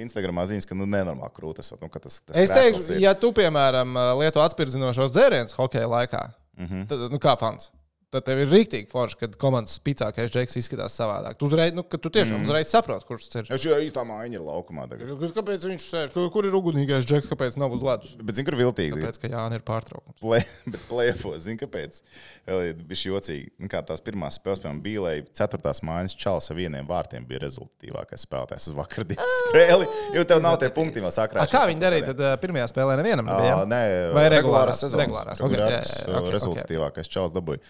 Instagramā ziņas, ka nu nenormāli krūt esot. Nu, tas, tas es teikšu, ja tu, piemēram, lieto atspirdzinošos dzērienus hokeja laikā, mm-hmm. tad, nu kā fans, tad tev ir rīktīgi forši, kad komandas spīcākais džeks izskatās savādāk. Tu uzreiz, nu, ka tu tiešām mm. uzreiz saproti, kurš tas ir. Ja šī īstā mājiņa ir laukumā tagad. Kāpēc viņš sēž? Kur, kur ir ugunīgais džeks, kāpēc nav uz ledus? Bet zini, kur viltīgi? Tāpēc, ka Jāni ir pārtraukums. Play, bet plēfos, zini, kāpēc? Bišķi jocīgi. Nu, kā tās pirmās spēles, piemēram, Bīlei, ceturtās mājas Čals ar vieniem vārtiem bija rezultatīvākais spēlētājs uz vakardienas spēli, jo tev nav tie punkti vēl sakrāši. Kā viņi darīja tad pirmajā spēlē nevienam nebija? Nē, vai regulārās sezonas. Regulārās. Okay, jā, jā, okay, rezultatīvākais okay. Čals dabūja.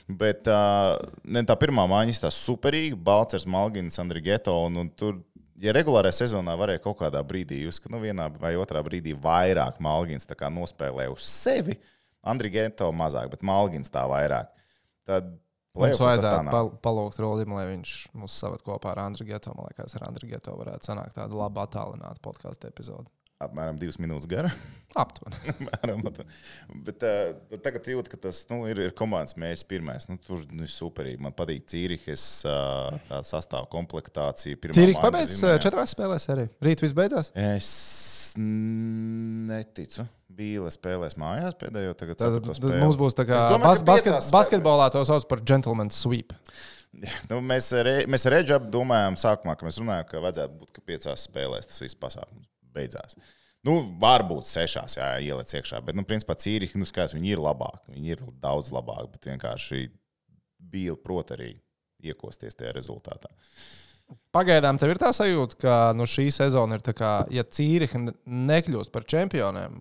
Bet uh, ne, tā pirmā māja izstās superīga, Balcers, Malgins, Andrigeto, un, un tur, ja regulārajā sezonā varēja kaut kādā brīdī jūs, ka nu vienā vai otrā brīdī vairāk Malgins tā kā nospēlē uz sevi, Andrigeto mazāk, bet Malgins tā vairāk. Tad mums vajadzētu pal palūgt Rolim, lai viņš mūs saved kopā ar Andrigeto. Man liekas, ar Andrigeto varētu sanākt tādu labu attālinātu podcastu epizodu. Apmēram divas minūtes gara. Aptuveni. Bet uh, tagad jūt, ka tas nu, ir, ir komandas mērķis pirmais. Nu, tur nu, ir superīgi. Man patīk Cīrihas uh, sastāvu komplektācija. Cīriha pabeidz četrās spēlēs arī. Rīt viss beidzās? Es neticu. Bīle spēlēs mājās pēdējo tagad ceturto spēli. Mums būs tā kā domāju, bas basket basketbolā to sauc par gentleman's sweep. Nu, mēs re, mēs Redžab domājām sākumā, ka mēs runājām, ka vajadzētu būt, ka piecās spēlēs tas viss pasākums beidzās. Nu, varbūt sešās, jā, ieliec iekšā, bet, nu, principā Cīriha, nu, skaidrs, viņi ir labāki, viņi ir daudz labāki, bet vienkārši Bīle prot arī iekosties tajā rezultātā. Pagaidām tev ir tā sajūta, ka nu, šī sezona ir tā kā, ja Cīriha nekļūst par čempioniem,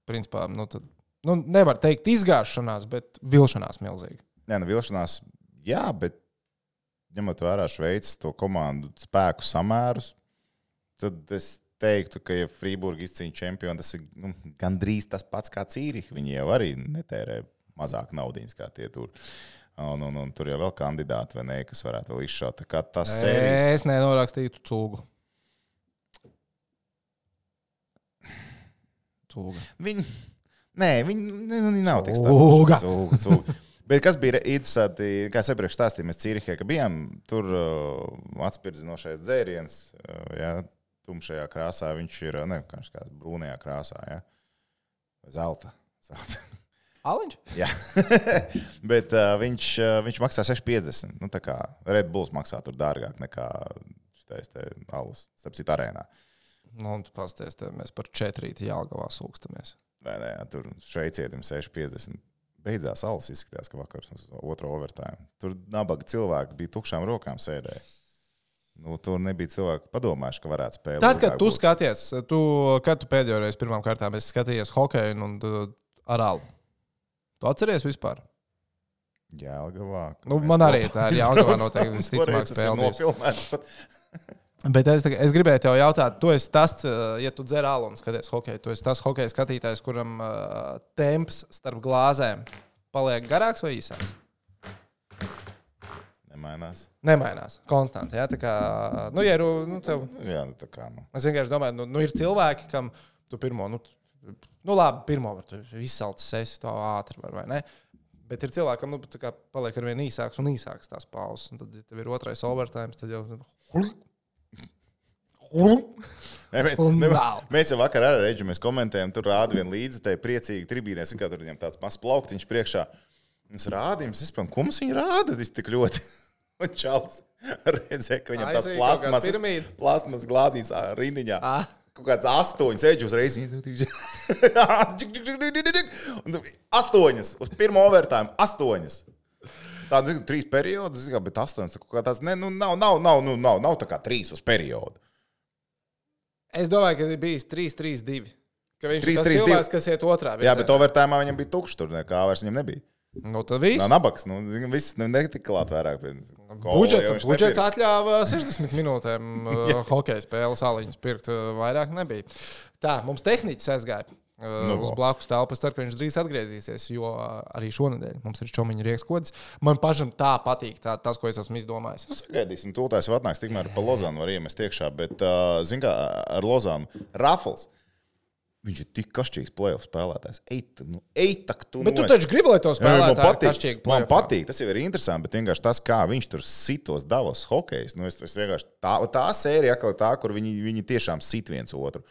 principā, nu, tad, nu, nevar teikt izgāšanās, bet vilšanās milzīgi. Nē, nu, vilšanās, jā, bet ņemot vērā Šveices to komandu spēku samērus, tad es teiktu, ka, ja Frīburga izcīņa čempionu, tas ir nu, gandrīz tas pats kā Cīriha. Viņi jau arī netērē mazāk naudiņas kā tie tur. Un, un, un tur jau vēl kandidāti, vai ne, kas varētu vēl izšaut. Kā tas sērijas... Es nenorakstītu cūgu. Cūga. Viņi... Nē, viņi, viņi nav tik Cūga. Cūga, cūga. Bet kas bija interesanti, kā es iepriekš stāstīju, mēs Cīrihē, ka bijām, tur uh, atspirdzinošais dzēriens, uh, ja, tumšajā krāsā, viņš ir, ne, kā brūnajā krāsā, ja, zelta. zelta. Aliņš? Jā, bet uh, viņš, uh, viņš maksā seši piecdesmit. Nu, tā kā Red Bulls maksā tur dārgāk nekā šitais te alus, starp citu arēnā. Nu, un tu pasties, te mēs par četrīti Jelgavā sūkstamies. Vai ne, tur šveicietim seši piecdesmit. Beidzās alus izskatījās, ka vakar uz otro overtime. Tur nabaga cilvēki bija tukšām rokām sēdēja. Nu, tur nebija cilvēki padomājuši, ka varētu spēlēt. Tad, kad tu būt. skaties, tu, kad tu pēdējo reizi pirmām kārtām esi skatījies hokeju un, un ar alu, tu atceries vispār? Jelgavā. Nu, man arī tā ir Jelgavā noteikti visticamāk spēlējis. Bet es, es gribēju tev jautāt, tu esi tas, ja tu dzer alu un skaties hokeju, tu esi tas hokeja skatītājs, kuram uh, temps starp glāzēm paliek garāks vai īsāks? Nemainās. Nemainās, konstanti, jā, tā kā, nu, ja, nu, tev... Jā, nu, tā kā, nu. Es vienkārši domāju, nu, nu ir cilvēki, kam tu pirmo, nu, nu labi, pirmo var tu izsalcis esi to ātri, var, vai ne? Bet ir cilvēkam, nu, tā kā paliek arvien īsāks un īsāks tās pauzes, un tad, ja tev ir otrais overtime, tad jau... Ne, mēs, ne, mēs jau vakar ar Reģu mēs komentējam, tur rāda vien līdzi, tai priecīgi tribīnēs, kā tur viņam tāds mazs plauktiņš priekšā. Mēs rādījām, es saprotu, ko mums viņi rāda tik ļoti. Un Čalis redzēja, ka viņam tās plastmasas, plastmasas glāzīs rindiņā. Ah. Kaut kāds astoņas eģi uzreiz. Astoņas, uz pirmo overtime, astoņas. Tāda, zinu, trīs periodus, bet astoņas, kaut kā tāds, ne, nu, nav, nav, nav, nu, nav, nav tā kā trīs uz periodu. Es domāju, ka bija trīs trīs divi. Ka viņš ir tas cilvēks, kas iet otrā virzienā. Jā, bet overtime viņam bija tukšs tur, nekā vairs viņam nebija. Nu, tad viss. Nav nabaks, nu, viss netika klāt vairāk. Budžets, budžets atļāva sešdesmit minūtēm uh, hokeja spēles aliņas pirkt, uh, vairāk nebija. Tā, mums tehniķis aizgāja. Uh, uz blakus telpu. Es ceru, ka viņš drīz atgriezīsies, jo arī šonadēļ mums ir čomiņa riekskods. Man pašam tā patīk, tā, tas, ko es esmu izdomājis. Nu, sagaidīsim, tūlētājs vēl atnāks, tikmēr pa Lozānu var iemest iekšā, bet, uh, zin kā, ar Lozānu Rafals, viņš ir tik kašķīgs playoff spēlētājs. Eita, nu, eitak tu Bet tu taču gribi, lai to spēlētāju kašķīgi playoff. Man patīk, tas jau ir interesanti, bet vienkārši tas, kā viņš tur sitos Davos hokejs, nu, es, es vienkārši tā, tā sērija, tā, kur viņi, viņi tiešām sit viens otru.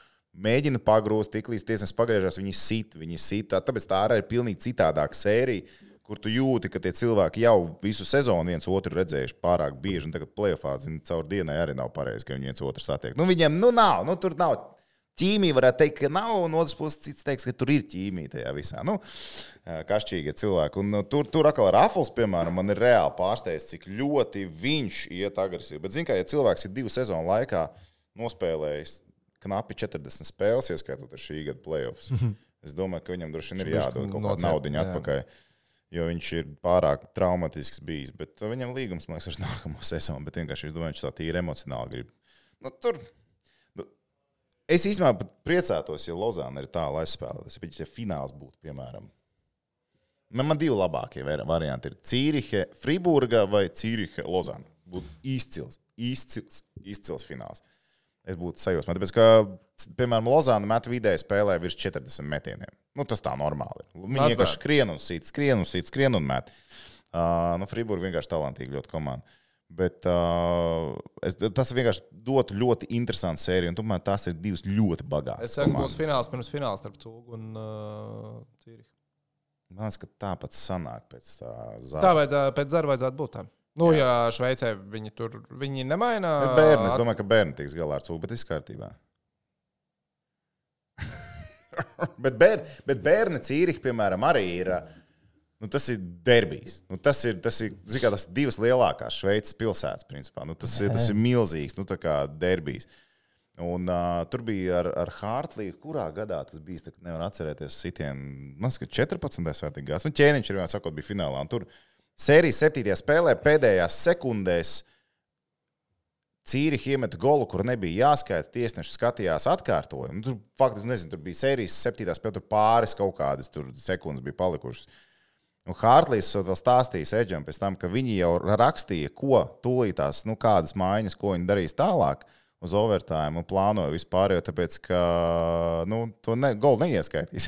Mēģina pagrūst, tik līdz tiesnes pagriežās, viņi sit, viņi sit. Tāpēc tā arī ir pilnīgi citādāka sērija, kur tu jūti, ka tie cilvēki jau visu sezonu viens otru redzējuši pārāk bieži, un tagad play-offā, zin, caur dienai arī nav pareizi, ka viņi viens otru satiek. Nu, viņiem, nu, nav, nu, tur nav ķīmija, varētu teikt, ka nav, un otrs puses cits teiks, ka tur ir ķīmija tajā visā. Nu, kašķīgie cilvēki. Un tur, tur atkal Rafals, piemēram, man ir reāli pārsteigts, cik ļoti viņš iet agresīvi. Bet, zin kā, ja cilvēks ir divu sezonu laikā nospēlējis knapi četrdesmit spēles, ieskaitot ar šī gada playoffs. Mm-hmm. Es domāju, ka viņam droši vien ir jādod kaut kāda naudiņa atpakaļ, jo viņš ir pārāk traumatisks bijis. Bet viņam līgums, man liekas, ar nākamo sezonu, bet vienkārši es domāju, viņš tā tīri emocionāli grib. Nu, tur, nu, es īstenībā pat priecātos, ja Lozāna ir tā, lai spēlētas, bet ja fināls būtu, piemēram. Man, man divi labākie varianti ir Cīrihe, Friburga vai Cīrihe, Lozāna. Būtu izcils, izcils, izcils fināls. Es būtu sajūsmā, tāpēc, ka, piemēram, Lozāna met vidēji spēlē virs četrdesmit metieniem. Nu, tas tā normāli ir. Viņi vienkārši skrien un sit, skrien un sit, skrien un met. Uh, nu, Friburga vienkārši talantīgi ļoti komanda. Bet uh, es, tas vienkārši dotu ļoti interesantu sēriju, un tomēr tās ir divas ļoti bagātas. Es saku, būs fināls pirms fināls starp Cūgu un uh, Cīrihi. Man liekas, ka tāpat sanāk pēc tā zara. Tā vajadzētu, pēc zara vajadzētu būt tam. Nu, jā, ja Šveicē viņi tur, viņi nemaina. Bet bērni, es domāju, ka bērni tiks galā ar Cūgu, bet viss kārtībā. bet, bērni, bet bērni Cīrihi, piemēram, arī ir, nu, tas ir derbijs. Nu, tas ir, tas ir, zin kā, tas divas lielākās Šveices pilsētas, principā. Nu, tas, ir, tas ir milzīgs, nu, tā kā derbijs. Un uh, tur bija ar, ar Hārtliju, kurā gadā tas bija, tā nevar atcerēties sitienu, man saka, četrpadsmitais vai tik gās. Nu, ķēniņš ir, sakot, bija finālā, un tur sērijas septītajā spēlē pēdējās sekundēs Cīriha iemeta golu, kur nebija jāskaita, tiesneši skatījās atkārtojumu. Tur, faktiski, nezinu, tur bija sērijas septītā spēle, tur pāris kaut kādas tur sekundes bija palikušas. Un Hārtlīs vēl stāstījis Edžam pēc tam, ka viņi jau rakstīja, ko tūlītās, nu, kādas mājiņas, ko viņi darīs tālāk uz overtime un plānoja vispār, jo tāpēc, ka, nu, to ne, golu neieskaitīs.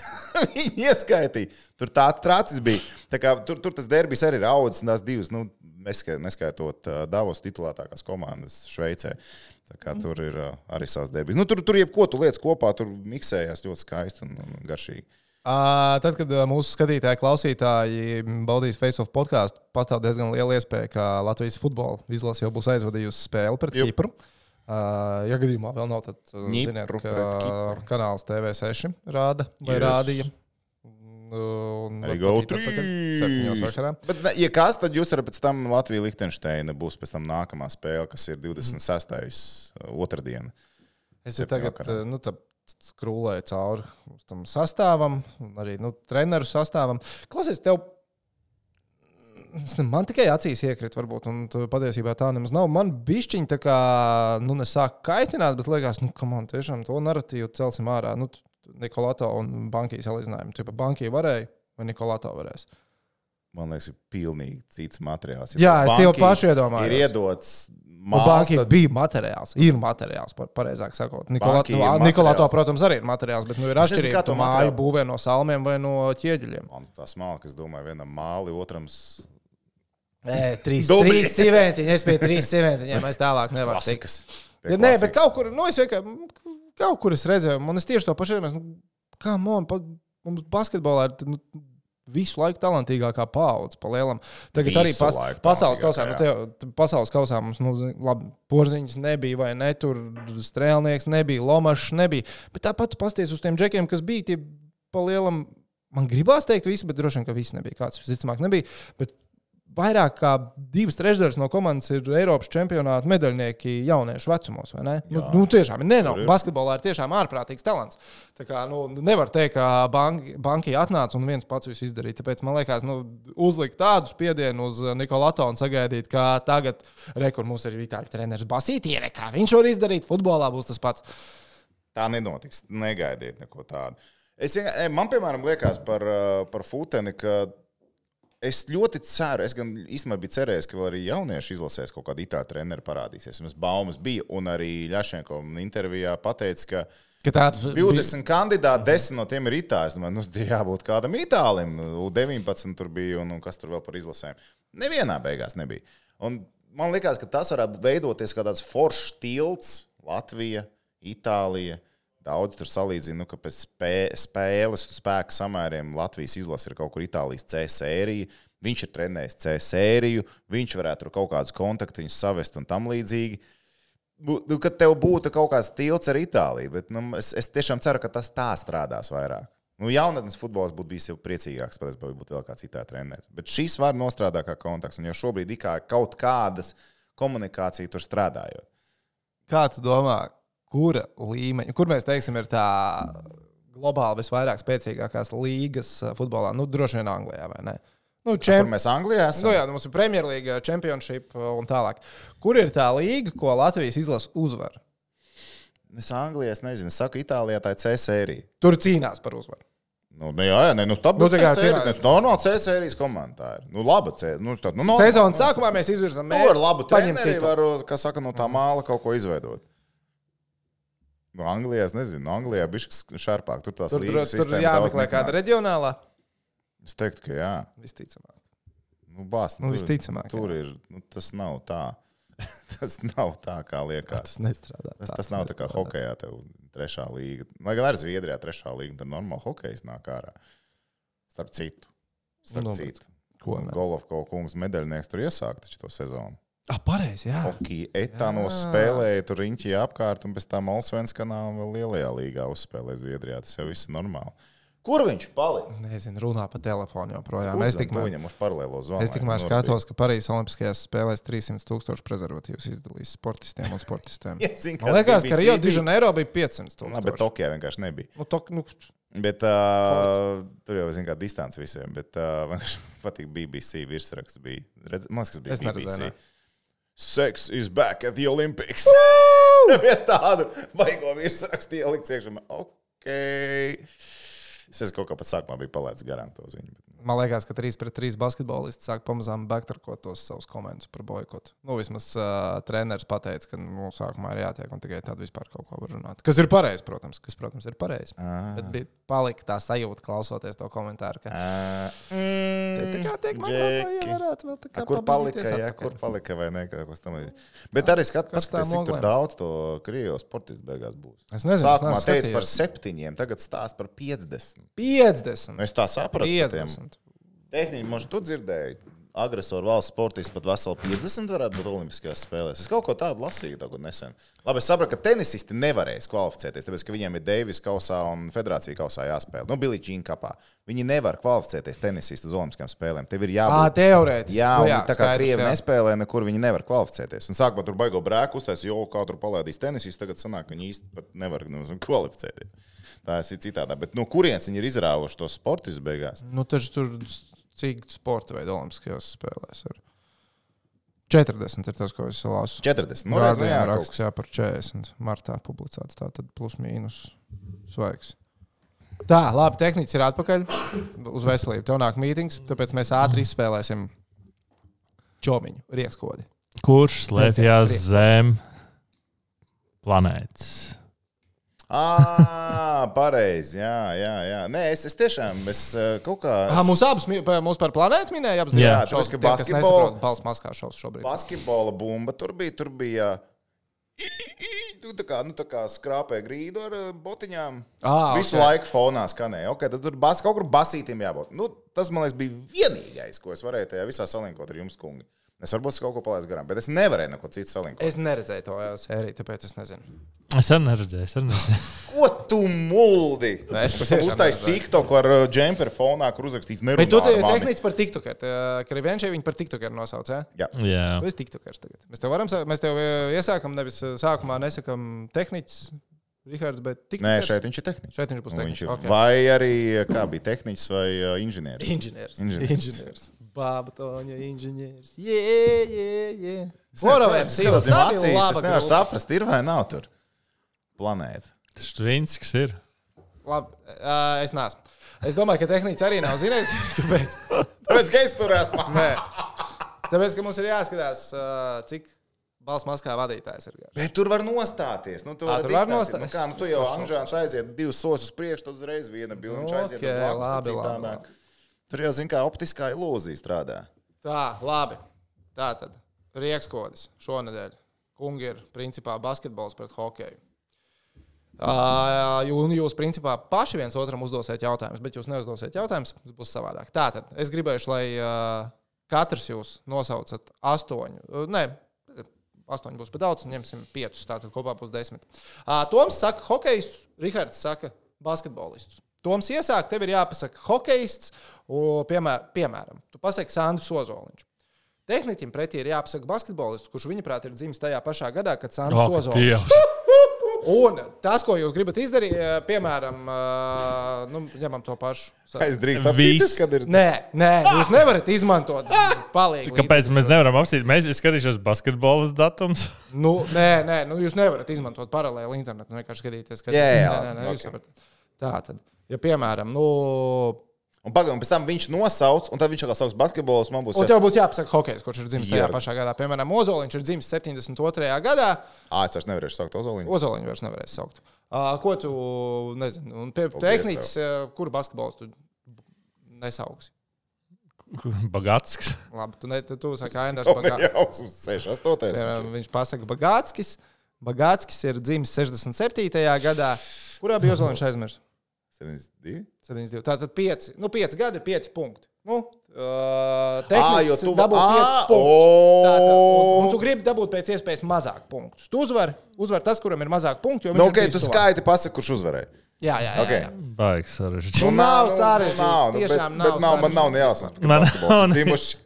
Viņi ieskaitīja. Tur tā trācis bija. Tā kā tur, tur tas derbijs arī ir audzis un tās divas, nu, neskaitot uh, Davos titulētākās komandas Šveicē. Tā kā tur ir uh, arī savs derbijs. Nu, tur, tur jebko tu lietas kopā, tur miksējās ļoti skaisti un, un garšīgi. Uh, tad, kad uh, mūsu skatītāji, klausītāji baudīs Face of podkāstu, pastāv diezgan liela iespēja, ka Latvijas futbola izlase jau būs aizvadījusi spēli pret Jup. Kipru. Uh, ja gadījumā vēl nav, tad uh, ziniet, ka kanāls T V seši rāda vai yes. rādīja. Un arī go trīs. Bet, ja kas, tad jūs varat pēc tam Latvija Lihtenšteina būs pēc tam nākamā spēle, kas ir divdesmit sestajā otrdiena. Es jau tagad nu, skrūlēju cauri tam sastāvam, arī nu, treneru sastāvam. Klausies, tev man tikai acīs iekrīt, varbūt, un patiesībā tā nemaz nav. Man bišķiņi tā kā, nu, nesāk kaitināt, bet liekas, nu, ka man tiešām to narratīvu celsim ārā. Nu, Nikolato un Bankija salīdzinājumu. Tipa Bankija varēja vai Nikolato varēs? Man liekas, ir pilnīgi cits materiāls. Jā, es tev pašu iedomājos. Ir iedots māls. Bankija tad... bija materiāls. Ir materiāls, pareizāk sakot. Nikolato, Nikolato, protams, arī ir materiāls, bet nu ir atšķirība. Tu māju būvē no salmiem vai no ķieģeļiem. Man tā smalka, es domāju, vienam māli, otrams... Nē, trīs, trīs siventiņi. Es pie trīs siventiņiem. Es tālāk nevaru tikt. Ja, nē, bet kaut kur, nu, es vienkārši... Kaut kur es redzēju, un es tieši to pašu iedomājos, nu, kā man, pa, mums basketbolā ir nu, visu laiku talantīgākā paudze pa lielam. Tagad visu arī pas, pasaules kausā, nu, tev, pasaules kausā mums, nu, labi, Porziņš nebija, vai ne, tur Strēlnieks nebija, Lomašs nebija, bet tāpat tu pasties uz tiem džekiem, kas bija tie pa lielam, man gribās teikt visi, bet droši vien, ka visi nebija, kāds visticamāk nebija, bet vairāk kā divas trešdaļas no komandas ir Eiropas čempionāta medaļnieki jauniešu vecumos, vai ne? Nu, nu, tiešām ir nenau. Basketbolā ir tiešām ārprātīgs talants. Tā kā, nu, nevar teikt, ka banki, Bankija atnāca un viens pats visu izdarīja. Tāpēc man liekas, nu, uzlikt tādu spiedienu uz Nikolato un sagaidīt, ka tagad, re, kur mums ir itāļu treneris Basītīre, kā viņš var izdarīt, futbolā būs tas pats. Tā nenotiks. Negaidiet neko tādu. Es, man, piemēram, liekas par, par Futeni, ka es ļoti ceru, es gan īstenībā biju cerējis, ka vēl arī jaunieši izlasēs kaut kādu itāļu treneru parādīsies. Mums baumas bija, un arī Ļašenko intervijā pateica, ka, ka tāds divdesmit bija... kandidāti, desmit no tiem ir itāļi. Nu, nu, jābūt kādam itālim. U deviņpadsmit tur bija, un, un kas tur vēl par izlasēm. Nevienā beigās nebija. Un man liekas, ka tas varētu veidoties kā tāds foršs tilts Latvija, Itālija. Daudz tur salīdzina, nu, ka pēc spē, spēles spēku samēriem Latvijas izlase ir kaut kur Itālijas C sērija. Viņš ir trenējis C sēriju, viņš varētu tur kaut kādus kontaktiņus savest un tam līdzīgi. Nu, kad tev būtu kaut kāds tilts ar Itāliju, bet nu, es, es tiešām ceru, ka tas tā strādās vairāk. Nu, jaunatnes futbols būtu bijis jau priecīgāks, pat es būtu vēl kāds Itālijas treneris. Bet šis var nostrādāt kā kontakts, un jau šobrīd ikā kaut kādas komunikācija tur strādājot. Kā tu domā? Kura līmeņa, kur mēs teiksim, ir tā globāli visvairāk spēcīgākās līgas futbolā? Nu, droši vien Anglijā, vai ne? Nu, čem... Kur mēs Anglijā esam? Nu, jā, mums ir Premjerlīga, Championship un tālāk. Kur ir tā līga, ko Latvijas izlase uzvar? Es Anglijā es nezinu. Es saku, Itālijā tā ir C sērija. Tur cīnās par uzvaru. Nu, jā, jā, ne, nu, tā būtu nu, C sērija. Tas normāli C sērijas komanda ir. Nu, laba C. Nu, tā, nu, sezonas sākumā mēs izvirzam mērķi. Nu, ar labu treneri var, kā saka, no tā māla kaut ko izveidot. No Anglijā, es nezinu, no Anglijā bišķi šarpāk. Tur tās tur, līgas tur, tur jāmeklē kāda reģionālā? Es teiktu, ka jā. Visticamāk. Nu, bās, nu, tur, visticamāk. Tur ir, nu, tas nav tā. Tas nav tā, kā liekas. Tas nestrādā. Tas, tas nav tā kā hokejā tev trešā līga. Lai gan arī Zviedrijā trešā līga, tad normāli hokejs nāk ārā. Starp citu. Starp nu, citu. Ko ne? Golovko kungs medaļnieks tur iesāk taču to sezonu. Ah, pareizi, jā. Hokeja etānos spēlēja tur riņķī apkārt un pēc tam Allsvenskanā un vēl lielajā līgā uzspēlēja Zviedrijā. Tas jau viss ir normāli. Kur viņš palika? Nezinu, runā pa telefonu joprojām. Es tikmēr, viņam uz paralēlo zvanu. Es tikmēr skatos, ka Parīzes Olimpiskajās spēlēs trīs simti tūkstoši prezervatīvus izdalīs sportistiem un sportistiem. ja, zin, Man liekas, ka Rio de Janeiro bija piecsimt tūkstoši. Na, bet Tokijā vienkārši nebija. Nu, tok, nu... Bet uh, tur jau, zin kā, distance visiem. Bet uh, man patīk B B C virsraksts bija. Redz, man liekas, bija es B B C. Neredzēju, Sex is back at the Olympics. Vien tādu baigo virsrakstu ielikt iekšā. Ok. Es esmu kaut kā pat sākumā bija palaidis garām to ziņu. Man liekas, ka trīs pret trīs basketbolisti sāk pamazām backtarkot tos savus komentus par boikotu. Nu, vismaz uh, treneris pateica, ka nu, sākumā ir jātiek un tikai tad vispār kaut ko var runāt. Kas ir pareizi, protams. Kas, protams, ir pareizi. Ah. Bet bija palika tā sajūta, klausoties to komentāru, ka... Ah. Mm, te, tā kā tiek man vēl, lai varētu vēl tā kā kur palika, jā, kur palika vai ne, kaut kas tam līdz. Bet arī skat, paskaties, cik tur daudz to Krievijas sportistu beigās būs. Es nezinu, sākumā teica par septiņiem, tagad stāst par piecdesmit. piecdesmit? Es tā sapratu. piecdesmit. Tehniski, možda tu dzirdēji, agresoru valsts sportists pat veseli piecdesmit varētu būt olimpiskajās spēlēs. Es kaut ko tādu lasīju tagad nesen. Labi, es sapratu, ka tenisisti nevarēs kvalificēties, tāpēc, ka viņiem ir Deivis kausā un Federācija kausā jāspēlē. Nu, Billie Jean kapā. Viņi nevar kvalificēties tenisisti uz olimpiskajām spēlēm. Tev ir jābūt... Ā, teorētiski. Jā, un jā, tā kā Krievi nespēlē, nekur viņi nevar kvalificēties. Un sākumā tur baigo brēku uztais, jo kā tur palaidīs tenisisti, tagad sanāk, ka viņi īsti pat nevar kvalificēties. Tā ir citādā. Bet no kurienes viņi ir izrāvuši tos sportistus beigās? Nu, taču tur... Cik sporta veidu olimpiskajās spēlēs ir? četrdesmit ir tas, ko es lasu. četrdesmit. Nu, Gārdien raksts, jā, par četrdesmit. Martā publicēts. Tā tad plus mīnus svaigs. Tā, labi, tehnicis ir atpakaļ. Uz veselību. Tev nāk mītings, tāpēc mēs ātri izspēlēsim čomiņu, riekskodi. Kurš slēpjas zem planētas? Ah, pareizi, jā, jā, jā. Nē, es, es tiešām, es kaut kā... Es... Ah, mūs abas, mūs par planētu minēja? Abas jā, tāpēc, ka basketbola... Pals maskā šaus šobrīd. Basketbola bumba tur bija, tur bija... Tā kā, nu, tā kā skrāpē grīdu ar botiņām. Ah, Visu okay. laiku fonā skanēja. Ok, tad tur bas, kaut kur basītiem jābūt. Nu, tas, man liekas, bija vienīgais, ko es varēju tajā visā salinkot ar jums, kungi. Es varbūt kaut ko palaidu garām, bet es nevarēju neko citu salinkot. Es neredzēju to sēriju, tāpēc es nezinu. Es arī neredzēju, es arī neredzēju. Ko tu muldi? Nē, es patiešām uztais TikTok ar džemperu fonā, kur uzrakstīts nerunā bet tu ar mani. tehnicis par TikTokeru. Ka Rivenčai viņi par TikTokeru nosauc, jā? Jā. Jā. Tu esi TikTokers tagad. Mēs tev varam, mēs tev iesākam, nevis sākumā nesakam tehnicis, Rihards, bet TikTokers. Nē, šeit viņš ir tehnicis. Šeit viņš būs tehnicis. Okay. Vai arī, kā bija tehnicis vai uh, inženieris? Inženieris. Inženieris. Inženieris. Bāba Toņa inženieris. Jē, jē, jē. Boroviem sīvas. Es nevaru saprast, ir vai nav tur planēta. Tas Štvinskis ir. Labi, uh, es neesmu. Es domāju, ka tehnicis arī nav zināt, kāpēc. Tāpēc, ka es tur esmu. Nē. Tāpēc, ka mums ir jāskatās, uh, cik balss maskā vadītājs ir. Bet tur var nostāties. Nu, tu À, tur var nostāties. Nu, kā, nu, tu jau Anžāns aiziet divus soļus uz priekšu, tad uzreiz viena bilde, viņš aiziet Okay, uz blakus, labi, tad labi, citādāk. labi. Tur jau, zin kā, optiskā ilūzija strādā. Tā, labi. Tā tad. Riekskodis šonedēļ. Kungi ir principā basketbols pret hokeju. Uh, un jūs principā paši viens otram uzdosiet jautājumus, bet jūs neuzdosiet jautājumus, tas būs savādāk. Tātad es gribēšu, lai uh, katrs jūs nosaucat astoņu. Uh, nē, astoņi būs pa daudz, ņemsim piecus, tātad kopā būs desmit. Uh, Toms saka hokejistus, Rihards saka basketbolistus. Toms iesāk, tev ir jāpasaka hokejists, piemēram, piemēram, tu pasaki Sandrs Ozoliņš. Tehniķim pretī ir jāpasaka basketbolists, kurš viņaprāt ir dzimis tajā pašā gadā, kad Sandrs oh, Ozoliņš. Un tas, ko jūs gribat izdarīt, piemēram, nu, ņemam to pašu. Es drīkst apstīties, kad ir... Nē, nē, jūs nevarat izmantot palīgu. Kāpēc mēs nevaram apstīt? Mēs skatīšos basketbolas datums. Nu, nē, nē, nu, jūs nevarat izmantot paralēli internetu, vienkārši skatīties, kad... Jā, jā, nē, nē, nē, okay. Jūs sapratat. Tā tad. Ja, piemēram, nu... Un, pag, un pēc tam viņš nosauc, un tad viņš atkal sauks basketbolus, man būs... Un tev būtu jāpasaka hokejs, kurš ir dzimis tajā pašā gadā. Piemēram, Ozoliņš ir dzimis septiņdesmit otrajā gadā. Ā, es vairs nevarēšu saukt Ozoliņu. Ozoliņu vairs nevarēs saukt. Uh, ko tu, nezinu, un pie tehnicis, uh, kuru basketbolus tu nesauksi? Bagātskis. Labi, tu, ne, tu, tu saki Aindars Bagātskis. seši astotais. Viņš pasaka Bagātskis. Bagātskis ir dzimis sešdesmit septītajā gadā. Kurā bija Ozoliņš aizmirst? septiņdesmit divi. septiņdesmit divi. Tātad pieci, nu pieci gadi ir pieci punkti. Nu, uh, tehnicis tu... dabūt piecus punktus. Tātad, un, un tu gribi dabūt pēc iespējas mazāk punktus. Tu uzvari, uzvar tas, kuram ir mazāk punktu. Nu, ok, tu skaiti pasaka, kurš uzvarēja. Jā, jā, jā. Okay. jā. Baigs sarežģīt. Nu, nav sarežģīti. Nu, Tiešām bet, nav bet nav, man nav nejāsas. Man nav dzimuši,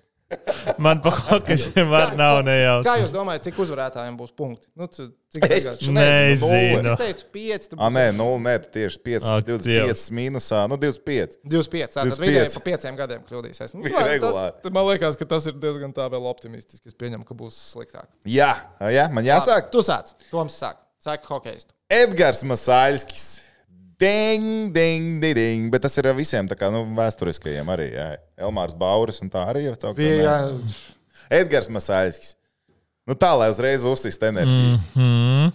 Man pa hokeistiem var nav nejausmas. Kā jūs domājat, cik uzvarētājiem būs punkti? Nu, cik Es taču nezinu. Nezinu. Es teicu pieci. Ah, nē, nulle, nē, tieši pieci, Ak, divdesmit pieci mīnusā, nu divdesmit pieci. divdesmit pieci. Tātad divdesmit pieci. vidēji pa pieciem gadiem kļūdīsies. Nu, Bija tas, regulāri. man liekas, ka tas ir diezgan tā vēl optimistiski. Es pieņemu, ka būs sliktāk. Jā, jā, man jāsāk. Tu sāc. Toms sāk. Sāk hokeistu. Edgars Masaļskis. Ding, ding, ding, ding. Bet tas ir visiem tā kā nu, vēsturiskajiem arī. Jā. Elmārs Bauris un tā arī jau caukt. Edgars Masaļskis. Nu tā, lai uzreiz uzsist enerģiju. Mm.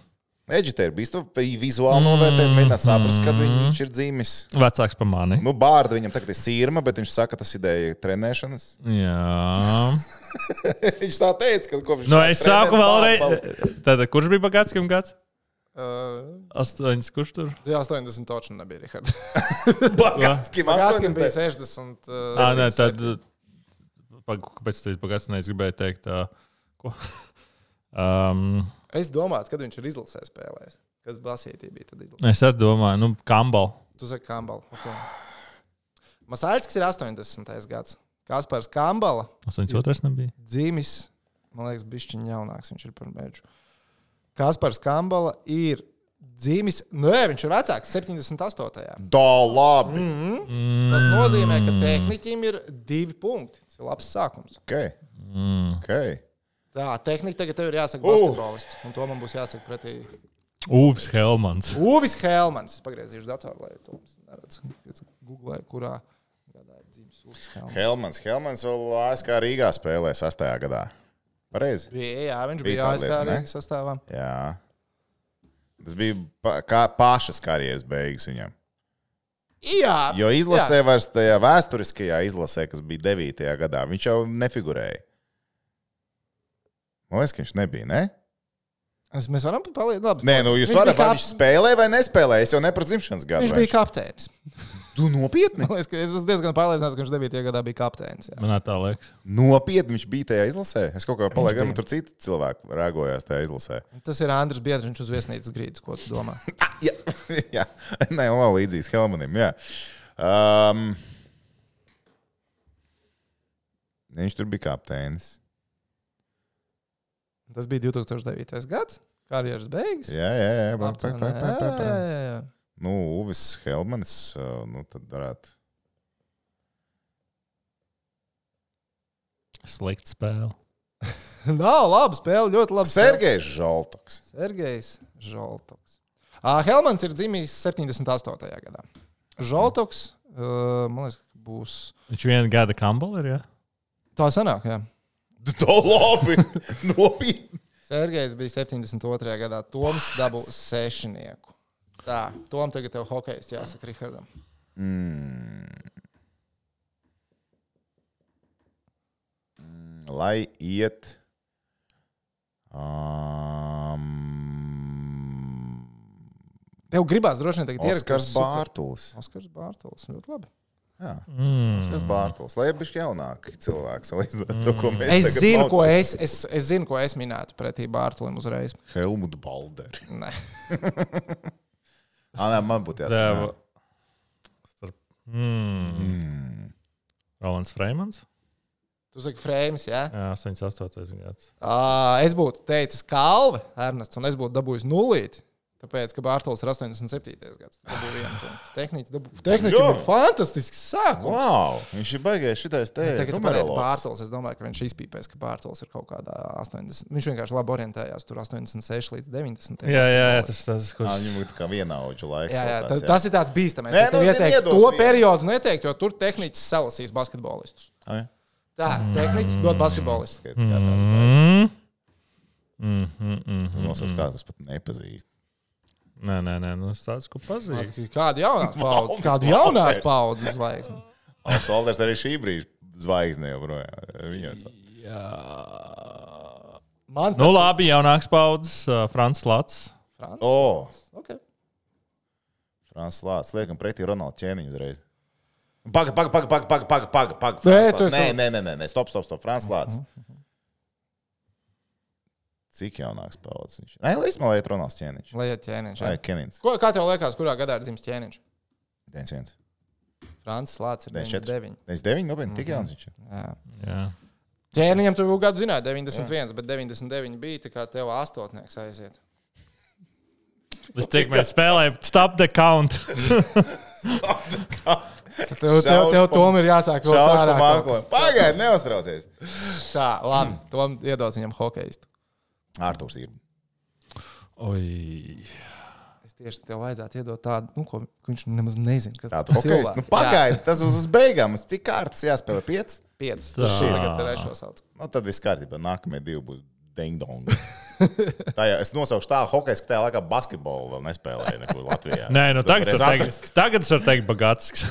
Edžitē ir bijis to vizuāli novērtēt, mēģināt saprast, kad viņš ir dzīvis. Vecāks par mani. Nu, bārda viņam tagad ir sīrma, bet viņš saka, tas ideja trenēšanas. Jā. Viņš tā teica, ka kopš... Nu, es sāku vēlreiz. Tātad, kurš bija bagātskam gads? Uh, Astoņas, kurš tur? Jā, astoņdesmit točni nebija, Richard. Bagātskim Bagātskim bija sešdesmit. Uh, Ā, nē, tad... Pag, kāpēc tu bagāts nees gribēju teikt? Uh, ko? um, es domāju, kad viņš ir izlasē spēlējis. Kas basītī bija tad izlasē? es arī domāju, nu, Kambal. Tu saki Kambala. Okay. Masaļskis ir astoņdesmitais gads. Kaspars Kambala. astoņdesmit otrais nebija. Dzīmis, man liekas, bišķiņ jaunāks viņš ir par mēģu. Kaspars Kambala ir dzīmis, nē, viņš ir vecāks, septiņdesmit astotajā. Da, labi. Mm-hmm. Tas nozīmē, ka tehniķim ir divi punkti. Tas ir labs sākums. Okay. Mm. Okay. Tā, tehnika tagad tev ir jāsaka Uh. basketbolists. Un to man būs jāsaka pretī. Uvis Helmans. Uvis Helmans. Es pagriezīšu datoru, lai to neredz. Es googlēju, kurā gadā ir dzīmis Uvis Helmans. Helmans. Helmans vēl A S K Rīgā spēlē sastajā gadā. Pareizi? Bija, jā, viņš Bija bija tāda A S K lieta, ne? Rīgas sastāvā. Jā. Tas bija pa, kā pašas karjeras beigas viņam. Jā. Jo izlasē jā. Vairs tajā vēsturiskajā izlasē, kas bija devītajā gadā, viņš jau nefigurēja. Man liekas, ka viņš nebija, ne? Es, mēs varam palīdzēt. Nē, nu jūs varat, vai viņš spēlē vai nespēlē, es jau ne par dzimšanas gadu. Viņš bija kapteinis. Tu nopietni? Man liekas, ka es esmu diezgan pārliecināts, ka viņš devītajā gadā bija kapteinis. Jā. Man tā liekas. Nopietni viņš bija tajā izlasē. Es kaut kā palaidu, bija. tur citi cilvēki rēgojās tajā izlasē. Tas ir Andris Biedriņš uz viesnīcas grīdas, ko tu domā. jā, jā. Nē, vēl līdzīgs Helmanim, jā. Um, viņš tur bija kapteinis. Tas bija divi tūkstoši devītais gads, karjeras beigas. Jā, jā, jā. Pak, pak, Aptuveni, pak, pak, pak, pak. jā, jā, jā. Nu, Uvis Helmanis, nu tad varētu. Slikta spēle. Nav laba spēle, ļoti labi. Sergejs Žoltoks. Sergejs Žoltoks. Uh, Helmans ir dzimis septiņdesmit astotajā gadā. Žoltoks, uh, man liekas, būs... Viņš viena gada Kambal ir, jā? Tā sanāk, jā. Tā labi. Nopietni. Sergejs bija septiņdesmit otrajā gadā. Toms dabū sešinieku. Tā, Tom tagad tev hokejs jāsaka Richardam. Mm. Mm, lai iet. Um, Tev gribās droši vien tagad ierakt. Oskars Bārtulis. Oskars Bārtulis, ļoti labi. Jā, Mm. Oskars Bārtulis. Lai bišķi jaunāki cilvēki salīdzināt to, ko mēs Es tagad zinu, ko maucam. es, es, es zinu, ko es minētu pretī Bārtulim uzreiz. Helmut Balderi. Nē. Ā, nē, man būtu jāsaka. Deva. Starp... Mm. Mm. Rolands Freimans. Tu saki Freims, jā? Jā, astoņdesmit astotais gads. Uh, es būtu teicis Kalve, Ernests, un es būtu dabūjis nulīti. Tāpēc, ka Bārtulis ir astoņdesmit septītais gads. Dabūju vienu punktu. Tehniķi dabū... Tehniķi ir fantastisks sākums. Wow, viņš ir baigājis šitais te. Tagad, kad pateici numerologs. Bārtulis, es domāju, ka viņš izpīpēs, ka Bārtulis ir kaut kādā astoņdesmit. Viņš vienkārši labi orientējās tur astoņdesmit seši līdz deviņdesmit. Jā, jā, jā, tas tas, Ā, kurš... Viņam ir tā kā vienaudžu laiks. Jā, jā, vēl tā, tāds, tas ir tāds bīstamais. Nē, Es tev nu, zini, ieteiktu iedos to vienu. periodu neteikt, jo tur tehniķis salasīs basketbolistus. Ai, Tā, tehniķis dod basketbolistus. skaidrs, kā tāds. Mm. Mm, mm, mm, mm, Nosauc kādu, kas pat nepazīst. Nē, nē, nē, nu es tāds, ko pazīstu. Kādu jaunās paudzes, Valdis kādu jaunās Valders. paudzes zvaigzni. Alts Valders arī šī brīža zvaigzne joprojām. Viņam Jā. Mans Nu labi, jaunāks paudzes, uh, Frants Lats. Frans. O, Okay. Frans Lācis, liekam pretī Ronaldu ķēniņu uzreiz. Paga, paga, paga, paga, paga, paga, paga, paga. Nē, Frans tu- Lācis. Nē, tu- nē, nē, nē, nē, stop, stop, stop, Frans Lācis. Cik jaunāks paudzes viņš? Nē, līdz man liet Ronalds ķēniņš. Lai iet ķēniņš. Vai jā. Kenins? Ko, kā tev liekas, kurā gadā ir dzimis ķēniņš? deviņdesmit viens. Francis Lācis ir deviņdesmit četri. deviņdesmit deviņi. deviņdesmit deviņi, nopietni, tik jauns viņš ir. Jā. Jā. Ķērniņam tu gadu zināji, deviņdesmit viens, bet deviņdesmit deviņi bija, tā kā tev astotnieks aiziet. Es cik mēs spēlējam, stop the count. Stop the count. Tev, tev, tev Tom ir jāsāk vēl pārāk. Pagaid, neuztraucies. Tā, labi, mm. Tom iedod viņam hokejistu. Ārtūrs ir. Oi. Es tieši tev vajadzētu iedot tādu, nu, ko viņš nemaz nezina. Kas tādu hokejistu? Nu, pagaid, tas uz, uz beigām. Uz cik kārtas jāspēlē? Piec? Piec. Tas šī tagad trešo sauc. Nu, tad viss kārtībā. Nākamie divi būs ding-dong. Jā, es nosaukšu tā hokejs, ka tajā laikā basketbolu vēl nespēlēju nekur Latvijā. Nē, nu tagad es varu teikt, tagad es varu teikt Bagātisks.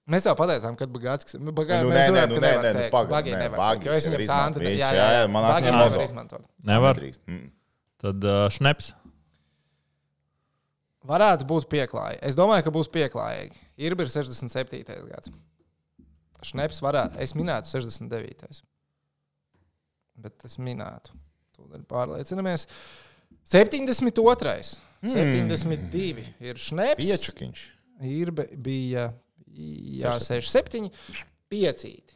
Mēs jau pateicām, kad Bagātisks. Bagā, nu, nē, nē, nu, nē, nē, nu, pagaid. Bagī nevar teikt, jo es viņam sāntri. Jā, jā, jā, man Bagī nevar izmantot. Nevar. Mm. Tad uh, Šneps. Varētu būt pieklājīgi. Es domāju, ka būs pieklājīgi. Irba ir sešdesmit septītais gads. Šneps varētu, es minētu sešdesmit devītais Bet es minētu. Tūdaļ pārliecinamies. septiņdesmit otrais Mm. septiņdesmit divi ir Šneps. Piečukiņš. Irba bija... Jā, seši septiņi piecīti.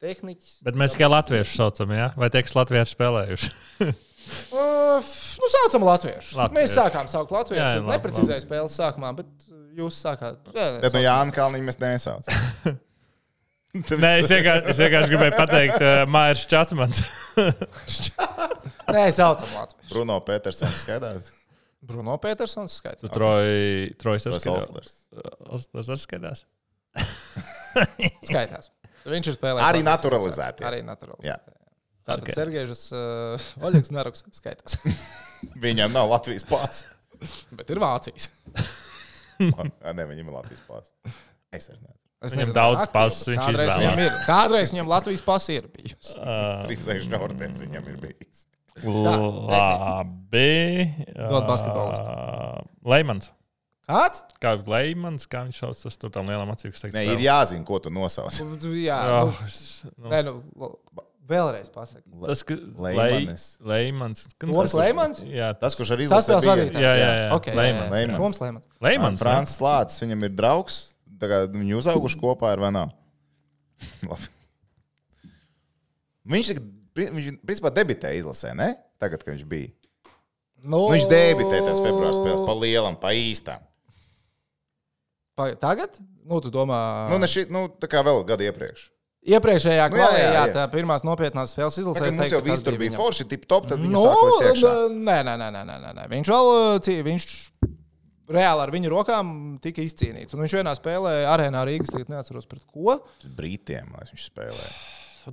Tehniķis. Bet mēs tikai latviešu saucam, jā? Vai tie, kas latvieši spēlējuši? uh, nu, saucam latviešus. Latvieši. Mēs sākām saukt latviešus. Jā, neprecizēju spēles sākumā, bet jūs sākāt. Jā, bet no Jāna Kalniņa mēs nesaucam. Nē, es vienkārši, es vienkārši gribēju pateikt uh, Mairs Čatmans. Nē, saucam latviešus. Bruno Petersons skaidrs. Bruno Petersons skaidrs. Tu Troj, Trojs ar skaidrs. Oslers ar skaidrs. Skaitās. Viņš ir spēlējis. Arī naturalizēti. Arī naturalizēti. Jā. Tātad okay. Sergejs uh, Oļegs Naruks skaitās. Viņam nav Latvijas pāsa. Bet ir Vācijas. Nē, viņam ir Latvijas pāsa. Es arī nezinu. Es viņam nezinu, daudz pasas, viņš izvēlās. Kādreiz viņam Latvijas pasa ir bijusi. Trīsreiz Nortens viņam ir bijis. Labi. Dod basketbolistu. Leimans. Kāds? Kā Leimans, kā viņš sauc, tas tur tam lielam acīm, kas teiks. Nē, ir jāzina, ko tu nosauc. Jā, oh, nu, es, nu. Nē, nu, vēlreiz pasaki. Tas, ka Leimans. Leimans. Toms Leimans? Jā, tas, kurš arī izlasē bija. Jā, jā, jā. Okay, Leimans. Jā, jā. Toms Leimans. Leimans. Frants Slācis, viņam ir draugs. Tagad viņi uzauguši kopā ar vai nav? Viņš, viņš, principā, debitēja izlasē, ne? Tagad, kad viņš bija. No... Nu, viņš debitēja tās februāra spēles pa lielam, pa īstām. Pa, tagad? Nu, tu domā... Nu, ne šī, nu, tā kā vēl gadu iepriekš. Iepriekšējā nu, kvalē, jā, jā, jā. jā, tā pirmās nopietnās spēles izlasē. Tagad mums jau viss tur bija forši, tip top, tad viņi no, sāk likt iekšā. Nē, nē, nē, nē, nē, nē. Viņš vēl, viņš reāli ar viņu rokām tika izcīnīts. Un viņš vienā spēlē arēnā Rīgas, tagad neatceros pret ko. Britiem, lai viņš spēlēja.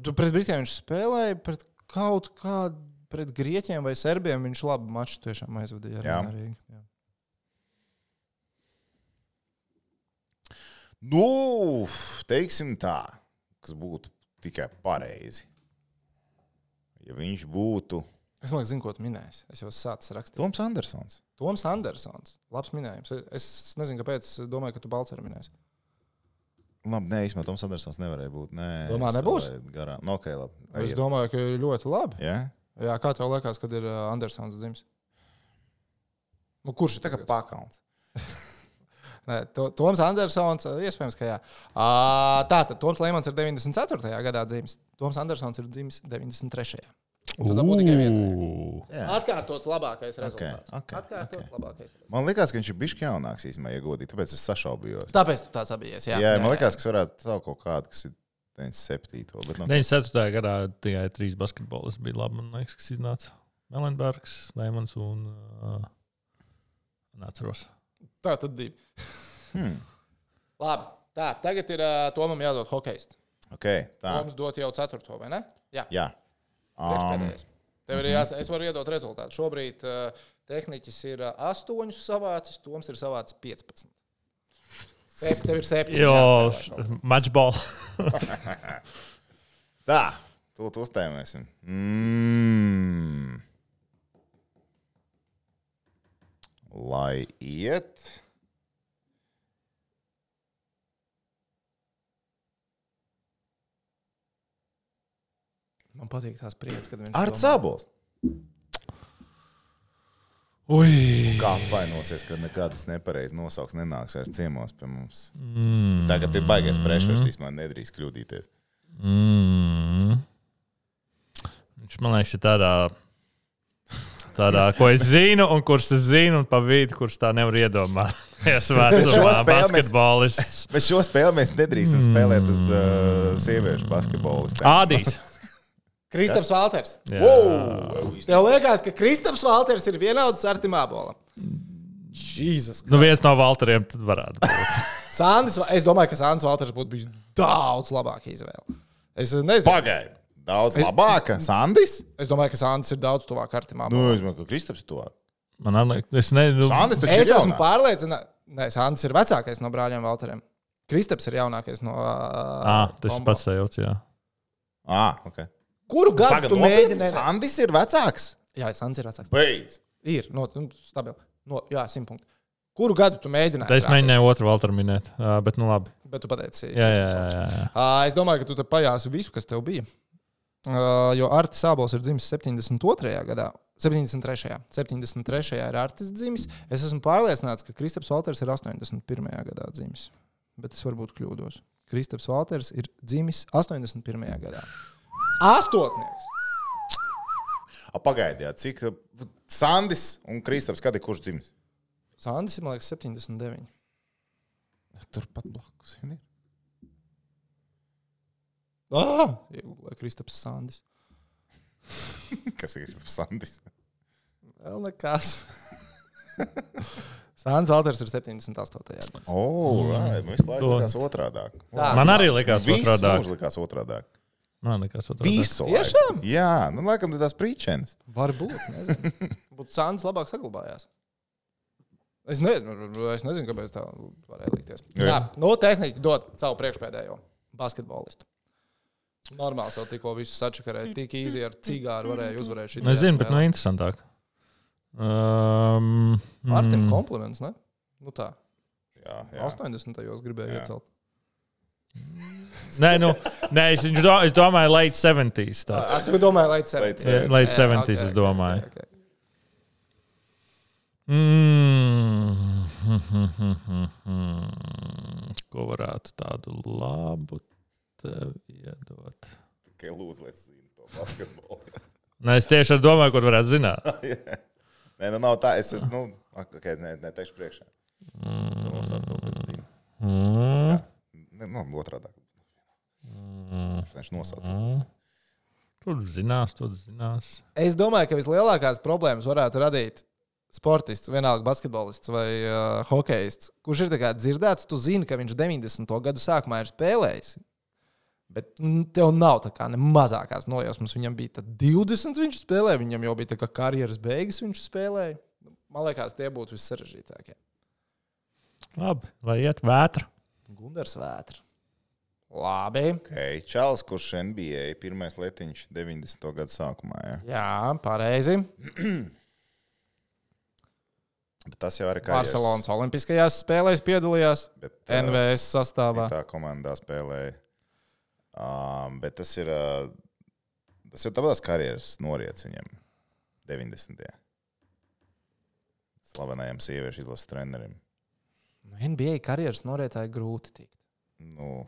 Tu pret Britiem viņš spēlēja, pret kaut kādu, pret Grieķiem vai Serbiem viņš labu maču tiešām aizvadīja arēnā Rīga. Jā. Nu, teiksim tā, kas būtu tikai pareizi. Ja viņš būtu... Es domāju, zinu, ko tu minēsi. Es jau sācis rakstīt. Toms Andersons. Toms Andersons. Labs minējums. Es nezinu, kāpēc. Es domāju, ka tu Balceru minēsi. Labi, nē, īstenībā Toms Andersons nevarēja būt. Nē, domā, nebūs? Garām. No, okay, labi. Es domāju, ka ļoti labi. Jā? Jā, kā tev liekas, kad ir Andersons dzimis? Nu, kurš ir tā kā pakalns? Nē, to, Toms Andersons, iespējams, ka jā. Uh, Tātad Toms Leimans ir deviņdesmit ceturtajā gadā dzimis. Toms Andersons ir dzimis deviņdesmit trešajā Un tu dabū tikai vienu. Atkārtots labākais rezultāts. Okay, okay, Atkārtots okay. labākais rezultāts. Man liekas, ka viņš ir bišķi jaunāks īstenībā, ja godīgi, tāpēc es sašaubījos. Tāpēc tu tāds abijies, jā. Jā, man liekas, ka es varētu savu kaut kādu, kas ir deviņdesmit septīto Bet no... deviņdesmit ceturtajā gadā tikai trīs basketbolisti bija labi, man liekas, kas iznāca. Melenbergs, Leimans un... Uh, neatceros. Tā tad divi. Hmm. Labi, tā, tagad ir uh, Tomam jādod hokejists. Okay, tā. Toms dot jau ceturto, vai ne? Jā. Jā. Priekšpēdējais. Tev ir jās, es varu iedot rezultātu. Šobrīd uh, tehniķis ir uh, astoņus savācis, Toms ir savācis piecpadsmit Sep, tev ir septiņi. Jo, matchball. Tā, tūlīt uztēmēsim. Mm. Lai iet... Man patīk tās priecas, kad viņš... Ar Cabols. Ui. Kā apvainosies, kad nekādas nepareizi nosauks nenāks ar ciemos pie mums. Mm. Tagad ir baigais prešers, īstenībā nedrīkst kļūdīties. Mm. Viņš, man liekas, ir tādā, tādā, ko es zinu, un kurš es zinu, un pa vidu, kurš tā nevar iedomāt. Es vecumā basketbolists. Bet šo spēli mēs nedrīkstam spēlēt uz uh, sieviešu basketbolistiem. Ādīs. Kristaps Valters. Wow! Tev liekas, ka Kristaps Valters ir vienauds ar Artim Ābolam. Jēzus. Nu, viens no Valteriem tad varētu būt. Sandis, es domāju, ka Sandis Valters būtu bijis daudz labāka izvēle. Es nezinu. Pagaid. Daudz labāka. Sandis? Es domāju, ka Sandis ir daudz tuvāk Artim Ābolam. Nu, es domāju, ka Kristaps ir tuvāk. Man liekas, es nezinu. Sandis taču Es ir esmu jaunāks. pārliecināts. Nē, Sandis ir vecākais no brāļiem Valteriem. Kristaps ir jaunākais no uh, Ah, tas pats sajūts, jā. Ah, ok. Kuru gadu Tagad tu nopietni, mēģini? Sandis ir vecāks? Jā, Sandis ir vecāks. Beidz. Ir, no, stabili. No, jā, simt punkti. Kuru gadu tu mēģināji? Es mēģināju otru Valteru minēt, uh, bet nu labi. Bet tu pateici. Jā, jā, jā, jā. Uh, es domāju, ka tu te pajāsi visu, kas tev bija. Uh, jo Artis Ābols ir dzimis septiņdesmit otrajā gadā. septiņdesmit trešajā septiņdesmit trešajā ir Artis dzimis. Es esmu pārliecināts, ka Kristaps Valters ir astoņdesmit pirmajā gadā dzimis. Bet es varbūt kļūdos. Kristaps Valters ir dzimis astoņdesmit pirmajā gadā. Astotnieks! A, pagaidiet, cik Sandis un Kristaps, kad ir kurš dzimis? Sandis ir, man liekas, septiņdesmit deviņi. Turpat blakus. Ir. Ah! Iegūlē Kristaps Sandis. Kas ir Kristaps Sandis? Vēl nekas. Sandis Valters ir septiņdesmit astotajā gadā. O, right. Man visu laiku likās otrādāk. Tā. Man arī likās Visu otrādāk. mūžu likās otrādāk. Man likās otrādāk. Visu Tiešām? laiku. Jā, nu laikam tās prīčenes. Varbūt, nezinu. Būtu Sandis labāk saglabājās. Es nezinu, es nezinu, kāpēc tā varēja likties. Jā. Jā, no tehniķi dod savu priekšpēdējo basketbolistu. Normāli jau tikko visu sačakarēja. Tik īsi ar cigāru varēja uzvarēt šī. Es zinu, bet nu interesantāk. Um, Martim kompliments, ne? Nu tā. Jā, jā. astoņdesmitajos gribēju Jā. iecelt. Nē, nu, nē es, do, es domāju, late seventies. Ah, Tāds. tu domāji, late seventies. Yeah, late seventies, es domāju. Mm. Ko varētu tādu labu tev iedot? Tikai lūdzu, lai es zinu to basketbolu. Nē, es tieši ar domāju, ko varētu zināt. Nē, nu nav tā. Es esmu, nu, ok, ne, neteikšu priekšā. Tu nosauc to, ko es zinu. Mm. Ne, nu, otrādāk. Mm. Es viņš nosauc to. Mm. Tur zinās, tur zinās. Es domāju, ka vislielākās problēmas varētu radīt sportists, vienalga basketbolists vai uh, hokejists, kurš ir tā kā dzirdēts, tu zini, ka viņš deviņdesmito gadu sākumā ir spēlējis. Bet tev nav tā kā ne mazākās nojausmas. Viņam bija divdesmit, viņš spēlēja, viņam jau bija tā kā karjeras beigas, viņš spēlēja. Man liekas, tie būtu vissarežģītākie. Labi, lai iet vētra. Gundars Vētra. Labi. Okay. Čāls, kurš N B A pirmais letiņš deviņdesmito gadu sākumā. Ja? Jā, pareizi. Bet tas jau arī karjeras. Barcelonas olimpiskajās spēlēs piedalījās. Bet, N V S sastāvā. Tā komandā spēlēja. Um, bet tas ir, uh, tas ir tāpēc karjeras noriets viņam deviņdesmitajā. Slavenajam sieviešu izlases trenerim. Nu, N B A karjeras norietāji grūti tikt. Nu,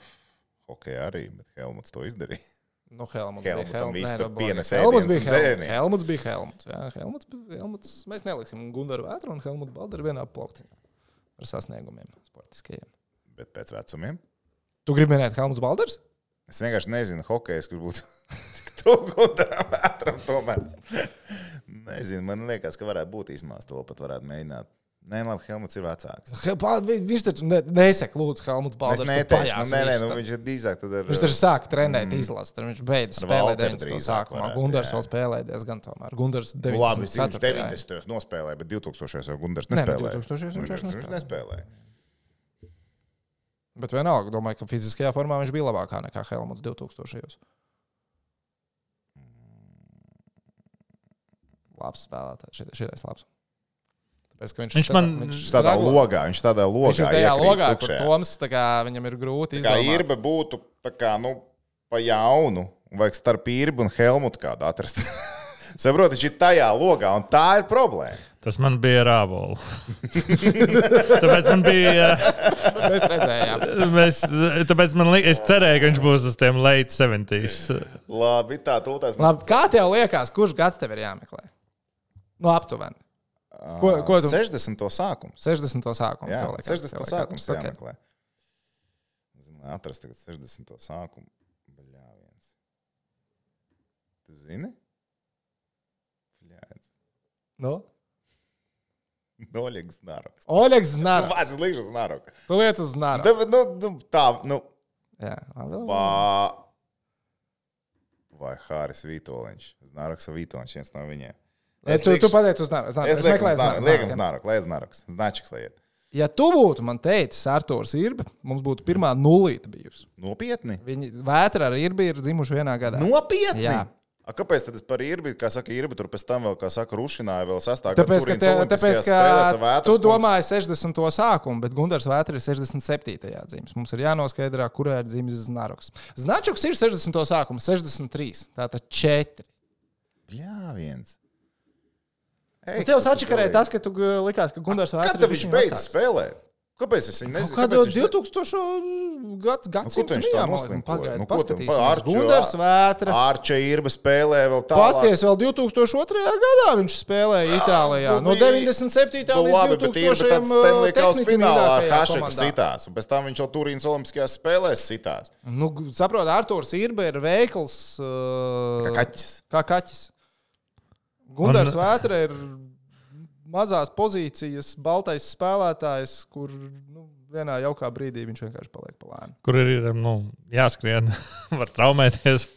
hokejā arī, bet Helmuts to izdarīja. Nu, Helmuts Helmutam bija viss tur Helmuts. pienes Helmuts ēdienas bija un Helmuts. dzērienus. Helmuts bija Helmuts. Jā, Helmuts, Helmuts. Mēs neliksim Gundaru Vētru un Helmutu Baldaru vienā plauktiņā ar sasniegumiem sportiskajiem. Bet pēc vecumiem. Tu gribi minēt Helmuts Baldars? Es vienkārši nezinu, hokejs, kurš būtu tik tuvu Gundaram Vētram tomēr. Nezinu, man liekas, ka varētu būt īsmās to pat varētu mēģināt. Nē, labi, Helmuts ir vecāks. He, pa, vi- viņš taču ne, nesaka, lūdzu, Helmuts Es Baldars. tu neteikšu, nu, pajāsi nē, nē, visu nu, tad. viņš ir drīzāk tad ar... Viņš taču sāka trenēt mm. izlases, tad viņš beidz Ar spēlēt Valteru deviņdesmito drīzāk sākumā. varētu, Gundars jā. vēl spēlēja diezgan tomēr. Gundars Nu, labi, deviņdesmit viņš ceturtajā. deviņdesmitajos nospēlēja, bet divtūkstošajos jau Gundars Nē, nu, nespēlēja. divtūkstošajos viņš vairs Viņš nespēlēja. nespēlēja. Bet vienalga, domāju, ka fiziskajā formā viņš bija labākā nekā Helmuts divtūkstošajos. Labs spēlētājs. Šitais labs. Tāpēc, ka viņš, Viņš man- viņš, Viņš tādā straglo. logā, viņš tādā logā Viņš ir tajā iekrīt logā, kur tukšajā. Toms tā kā, viņam ir grūti Kā izdomāt. Irbe būtu tā kā, nu, pa jaunu, un vajag starp Irbu un Helmutu kādu atrast. Saproti, viņš ir tajā logā, un tā ir problēma. Tas man bija rābola. Tāpēc man bija. Mēs redzējām. Mēs, tāpēc man li, es cerēju, ka viņš būs uz tiem late seventies. Labi, tā tūlēs. Labi, kā tev liekas, kurš gads tev ir jāmeklē? Nu, aptuveni. Ko, ko tu... sešdesmito sākums. sešdesmito sākums. Jā, liekas, sešdesmito sākums okay. jāmeklē. Zinu, atrast tagad sešdesmito sākumu. Baļā viens. Tu zini? Bļāds. Nu? Oļegs Znaroks. Oļegs Znaroks. Vāc, es līkšu Znaroku. Tu liec uz Znaroku. Nu, nu, tā, nu. Jā. Vā... Vai Hāris Vītoliņš. Znaroks Vītoliņš, viens no viņiem. Es tu, tu pateici uz Znaroku. Es lieku uz Znaroku, lai Znaroks. Značiks lai iet. Ja tu būtu man teicis Artūrs Irbe, mums būtu pirmā nulīta bijusi. Nopietni? Viņi Vētra ar Irbi ir dzimuši vienā gadā. Nopietni? Jā. A, kāpēc tad es par Irbi, kā saka, Irbi tur pēc tam vēl, kā saka, rušināja vēl sastāv? Tāpēc, ka, te, tāpēc, ka tu domāji sešdesmito sākumu, bet Gundars Vētra ir sešdesmit septītajā dzimis. Mums ir jānoskaidrā, kurā ir dzimis Znaroks. Značuks ir sešdesmito sākumu, sešdesmit trīs. Tātad četri. Jā, viens. Ei, tev sačakarēja tas, ka tu likās, ka Gundars Vētra ir kad viņš beidz spēlēt? Kāpēc es viņu nezinu? Kādu divtūkstošo gadsimtu nejām pagaidu. Paskatīsimies. Gundars Vētra. Ārča Irba spēlē vēl tālāk. Pasties vēl divtūkstoš otrajā gadā viņš spēlēja Itālijā. No deviņdesmit septītā līdz divtūkstošajam tehniski mīļākajā komandā. Sitās, un pēc tam viņš jau Turīnas olimpiskajās spēlēs sitās. Nu, saprot, Artūrs Irba ir veikls. Kā kaķis. Kā kaķis. Gundars Vētra ir mazās pozīcijas, baltais spēlētājs, kur nu, vienā jaukā brīdī viņš vienkārši paliek pa lēnu. Kur ir nu, jāskrien, var traumēties.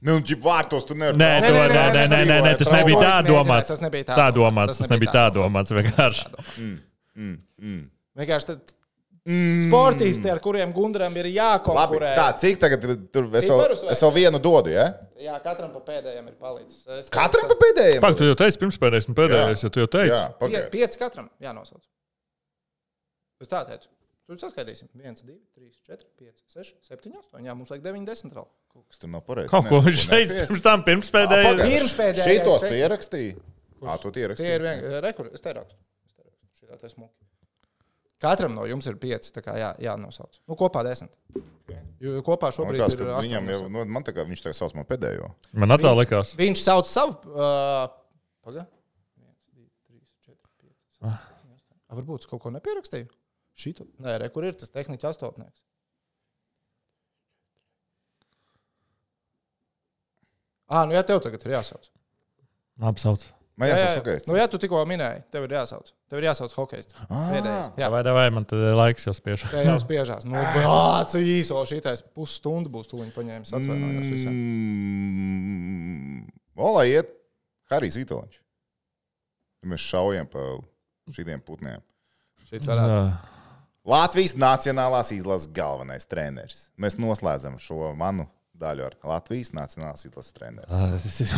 Nu, ģip vārtos tu nevar. Nē, nē, nē, nē, nē, nē, nē, tas nebija tā domāts. Tas nebija tā tā domāts. Tas nebija tā domāts, vienkārši. Mm, mm, mm. Vienkārši tad mm. sportisti, ar kuriem Gundaram ir jākonkurē. Labi, tā, cik tagad tur es vēl, es vēl vienu dodu, ja? Jā, katram pa pēdējiem ir palicis. Es katram pa pēdējiem? Pak, tu jau teici pirms pēdējais un pēdējais, jo tu jau teici. Jā, Pie, pieci katram jānosauc. Es tā teicu. Tu saskaitīsim. viens, divi, trīs, četri, pieci, seši, septiņi, astoņi. Jā, mums vajag deviņi, desmit vēl. Kaut kas tur nav pareizi. Kaut ko viņš teica pirms tam, pirms pēdējais. Pirms pēdējais. Šitos tu ierakstīji? Ā, tu tie ierakstīji. Tie ir vien, rekur, es te rakstu. Šitā te smuki. Katram no jums ir pieci, tā kā jā, jānosauc. Nu, kopā desmit. Jo kopā šobrīd likās, ir viņam jau, nu, man tā kā viņš tā sauc man pēdējo. Man atā likās. Viņš sauc savu... Uh, Paga? viens, divi, trīs, četri, pieci, seši, septiņi, astoņi. A, varbūt es kaut ko nepierakstīju? Šito? Nē, re, kur ir tas tehniķa astotnieks? Ā, nu jā, tev tagad ir jāsauc. Labi sauc. Man jāsauc hokejists. Nu jā, tu tikko minēji, tev ir jāsauc. Tev ir jāsauc hokejists. Pēdējais. Jā, vai, vai man tad laiks jau spiež? Jā, jau spiežās. Nu, bāc, īso šitais pusstundu būs tuliņ paņēmis. Atvainojos visiem. Mm, Olā iet Harijs Vītoliņš. Mēs šaujam pa šitiem putniem. Šits varētu. Latvijas nacionālās izlases galvenais treneris. Mēs noslēdzam šo manu daļu ar Latvijas nacionālās izlases treneri.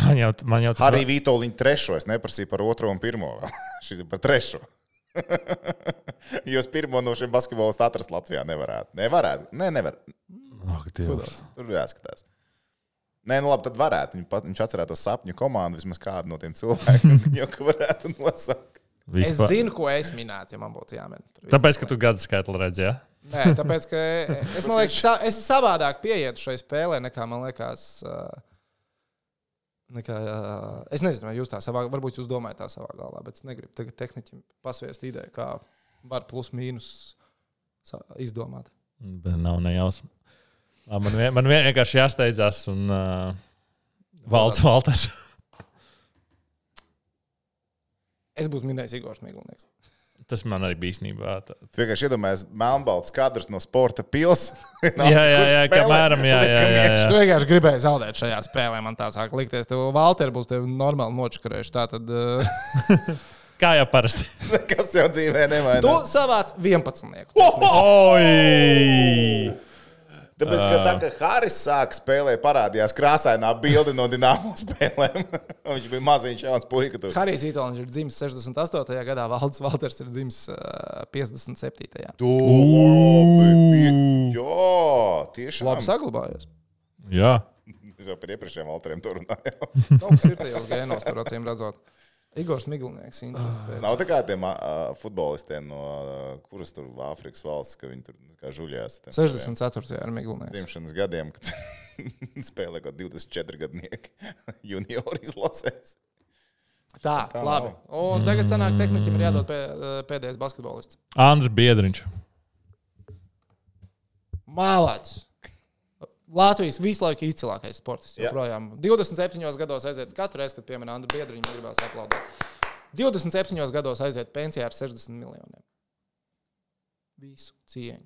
Man jau, man jau tas... Hariju Vītoliņu trešo. Es neprasīju par otro un pirmo. Šis ir par trešo. Jūs pirmo no šiem basketbolistam atrast Latvijā nevarētu. Nevarētu? Nē, nevar. Oh, Tur jāskatās. Nē, nu labi, tad varētu. Viņš atcerētos sapņu komandu, vismaz kādu no tiem cilvēkiem, jau ka varētu nosaukt. Vispār. Es zinu, ko es minētu, ja man būtu jāmin. Tāpēc, ka tu gadu skaitli redzi, jā? Nē, tāpēc, ka es, man liekas, sa, es savādāk pieietu šai spēlē, nekā man liekas, nekā, es nezinu, vai jūs tā savā, varbūt jūs domājat tā savā galvā, bet es negribu tagad tehniķim pasviest ideju, kā var plus mīnus izdomāt. Bet nav nejausma. Man, vien, man vienkārši jāsteidzās un uh, valds Valters. Es būtu minējis Igors Miglnieks. Tas man arī bija īstenībā. Tu vienkārši iedomājies melnbalts kadrs no sporta pils. jā, jā, jā, kamēram, jā, jā, jā, jā. Tu vienkārši gribēji zaudēt šajā spēlē, man tā sāk likties. Tev Valteri būs tevi normāli nočakarējuši. Tātad... Uh... Kā jau parasti. Kas jau dzīvē nemainās. Tu savāc vienpadsmitnieku. Oi! Tāpēc, ka tā, ka Haris sāk spēlēt, parādījās krāsainā bilde no Dinamo spēlēm. Viņš bija maziņš jauns puika. Harijs Vītoliņš ir dzimis sešdesmit astotajā gadā, Valds Valters ir dzimis uh, piecdesmit septītajā. Tu, jā, tiešām. Labi saglabājos. Jā. Es jau par iepriekšējiem Valteriem tur runāju. Kaut kas ir tajos gēnos, tur acīm redzot. Igors Miglinieks. Nav tā kā tiem uh, futbolistiem no uh, kuras tur Āfrikas valsts, ka viņi tur kā žuļās. sešdesmit ceturtajā ar Miglinieks. Dzimšanas gadiem, kad spēlē kaut divdesmit četri gadnieki juniori izlasēs. Tā, tā labi. Nav. Un tagad sanāk tehniķim ir jādod pē, pēdējais basketbolists. Andris Biedriņš. Mālāķis. Latvijas visu laiku izcilākais sportists. Joprojām. divdesmit septiņos gados aiziet katru reizi, kad piemēra Andru Biedriņu, gribās aplaudēt. divdesmit septiņos gados aiziet pensijā ar sešdesmit miljoniem. Visu cieņu.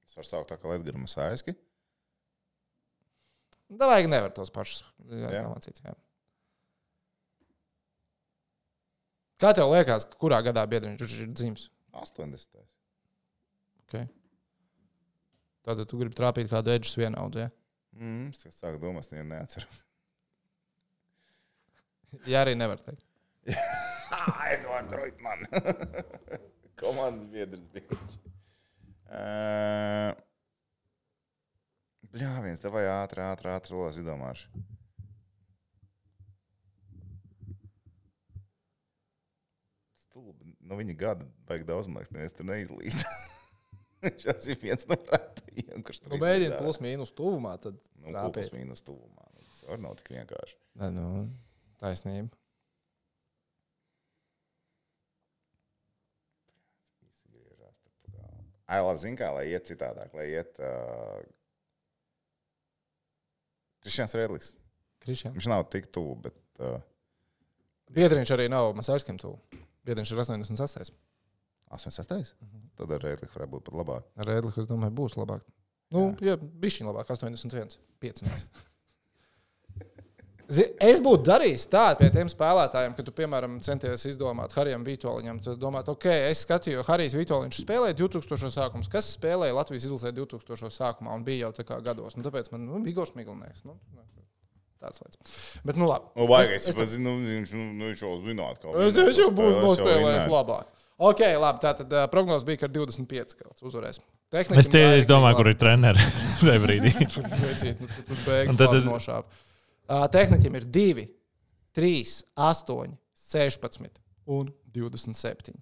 Es varu saukt tā kā Ledgara Masāiski. Da vajag nevar tos pašus. Jā. Jā. Kā tev liekas, kurā gadā Biedriņš ir dzimis? astoņdesmitais. Okay. Tātad tu gribi trāpīt kādu Edžus vienaudu, ja? Mm, es sāku domāt, ja neatceru. Jā, arī nevar teikt. Edvards Roitman. Komandas biedrs bija. Uh, bļā, viens, tev vai ātri, ātri, ātri, lās izdomāšu. No viņa gada baigi daudz, man liekas, neviens tur neizlīd. Šās ir viens no rētajiem, kurš tur nu, mēģina plus mīnus tuvumā, tad nu, plus mīnus tuvumā. Tas var nav tik vienkārši. Ne, nu, taisnība. Ai, labi, zin kā, lai iet citādāk, lai iet uh... Krišjāns Redlis. Krišjāns. Viņš nav tik tuvu, bet... Uh... Biedriņš arī nav Masārskim tuvu. Biedriņš ir astoņdesmit sestais. astoņdesmit sestais? Uh-huh. Tad ar Rēdliku varētu būt pat labāk. Ar Rēdliku, es domāju, būs labāk. Nu, jā, jā bišķiņ labāk, astoņdesmit viens. piecinieks. Es būtu darījis tādu pie tiem spēlētājiem, ka tu, piemēram, centies izdomāt Harijam Vitoļiņam. Tu domāt, ok, es skatīju, Harijs Vitoļiņš spēlēja divtūkstošos sākums. Kas spēlēja Latvijas izlasē divtūkstošos sākumā un bija jau tā kā gados? Nu, tāpēc man, nu, Igors Miglinieks. Nu, tāds lietas. Bet, nu, labi. Nu, vajag, es, es, es nu, viņš, nu, viņš jau zināt, kā viņš es, es jau būšu nospēlējis labāk. Ok, labi, tātad uh, prognoz bija, ka ar divdesmit pieci kāds uzvarēs. Tehniķim es tie, es domāju, kur ir treneri šajā brīdī. Tur veicīt, nu, tur beigas tad... labi nošāv. Uh, tehniķim ir divi, trīs, astoņi, sešpadsmit un divdesmit septiņi.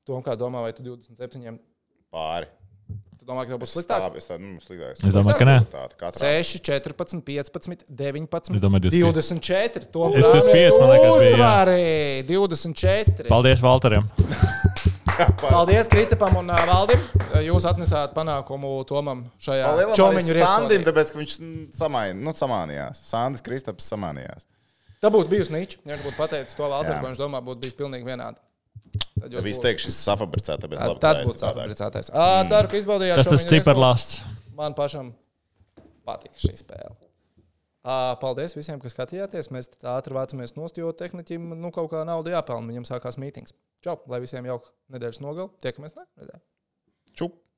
Tom, kā domā, vai tu divdesmit septiņiem? Pāri. Tu domā, ka tev būs sliktāk? Es tā, nu, sliktāk. Es domāju, ka nē. seši, četrpadsmit, piecpadsmit, deviņpadsmit, domāju, divdesmit četri. Tom es divdesmit pieci, man liekas, bija. Uzvarī, divdesmit četri. Paldies Valterim. Paldies Kristapam un uh, Valdim. Jūs atnesāt panākumu Tomam šajā čomiņu rieskodī. Sandim, tāpēc, ka viņš samain, nu, samānījās. Sandis Kristaps samānījās. Tā būtu bijusi niķa. Ja viņš būtu pateicis to Valteru, ko viņš domā, būtu bijis pilnīgi vienādi. Tad ja viss teikšu, šis safabricēta, tāpēc labi. Tad būtu safabricētais. Mm. Ceru, ka izbaudījāt tas tas ciparlasts. Man pašam patīk šī spēle. À, paldies visiem, kas skatījāties. Mēs ātri vācamies nost, jo tehniķim nu, kaut kā nauda jāpelna. Viņam sākās mītings. Čau, lai visiem jauka nedēļas nogali. Tiekamies nākamreiz. Čup!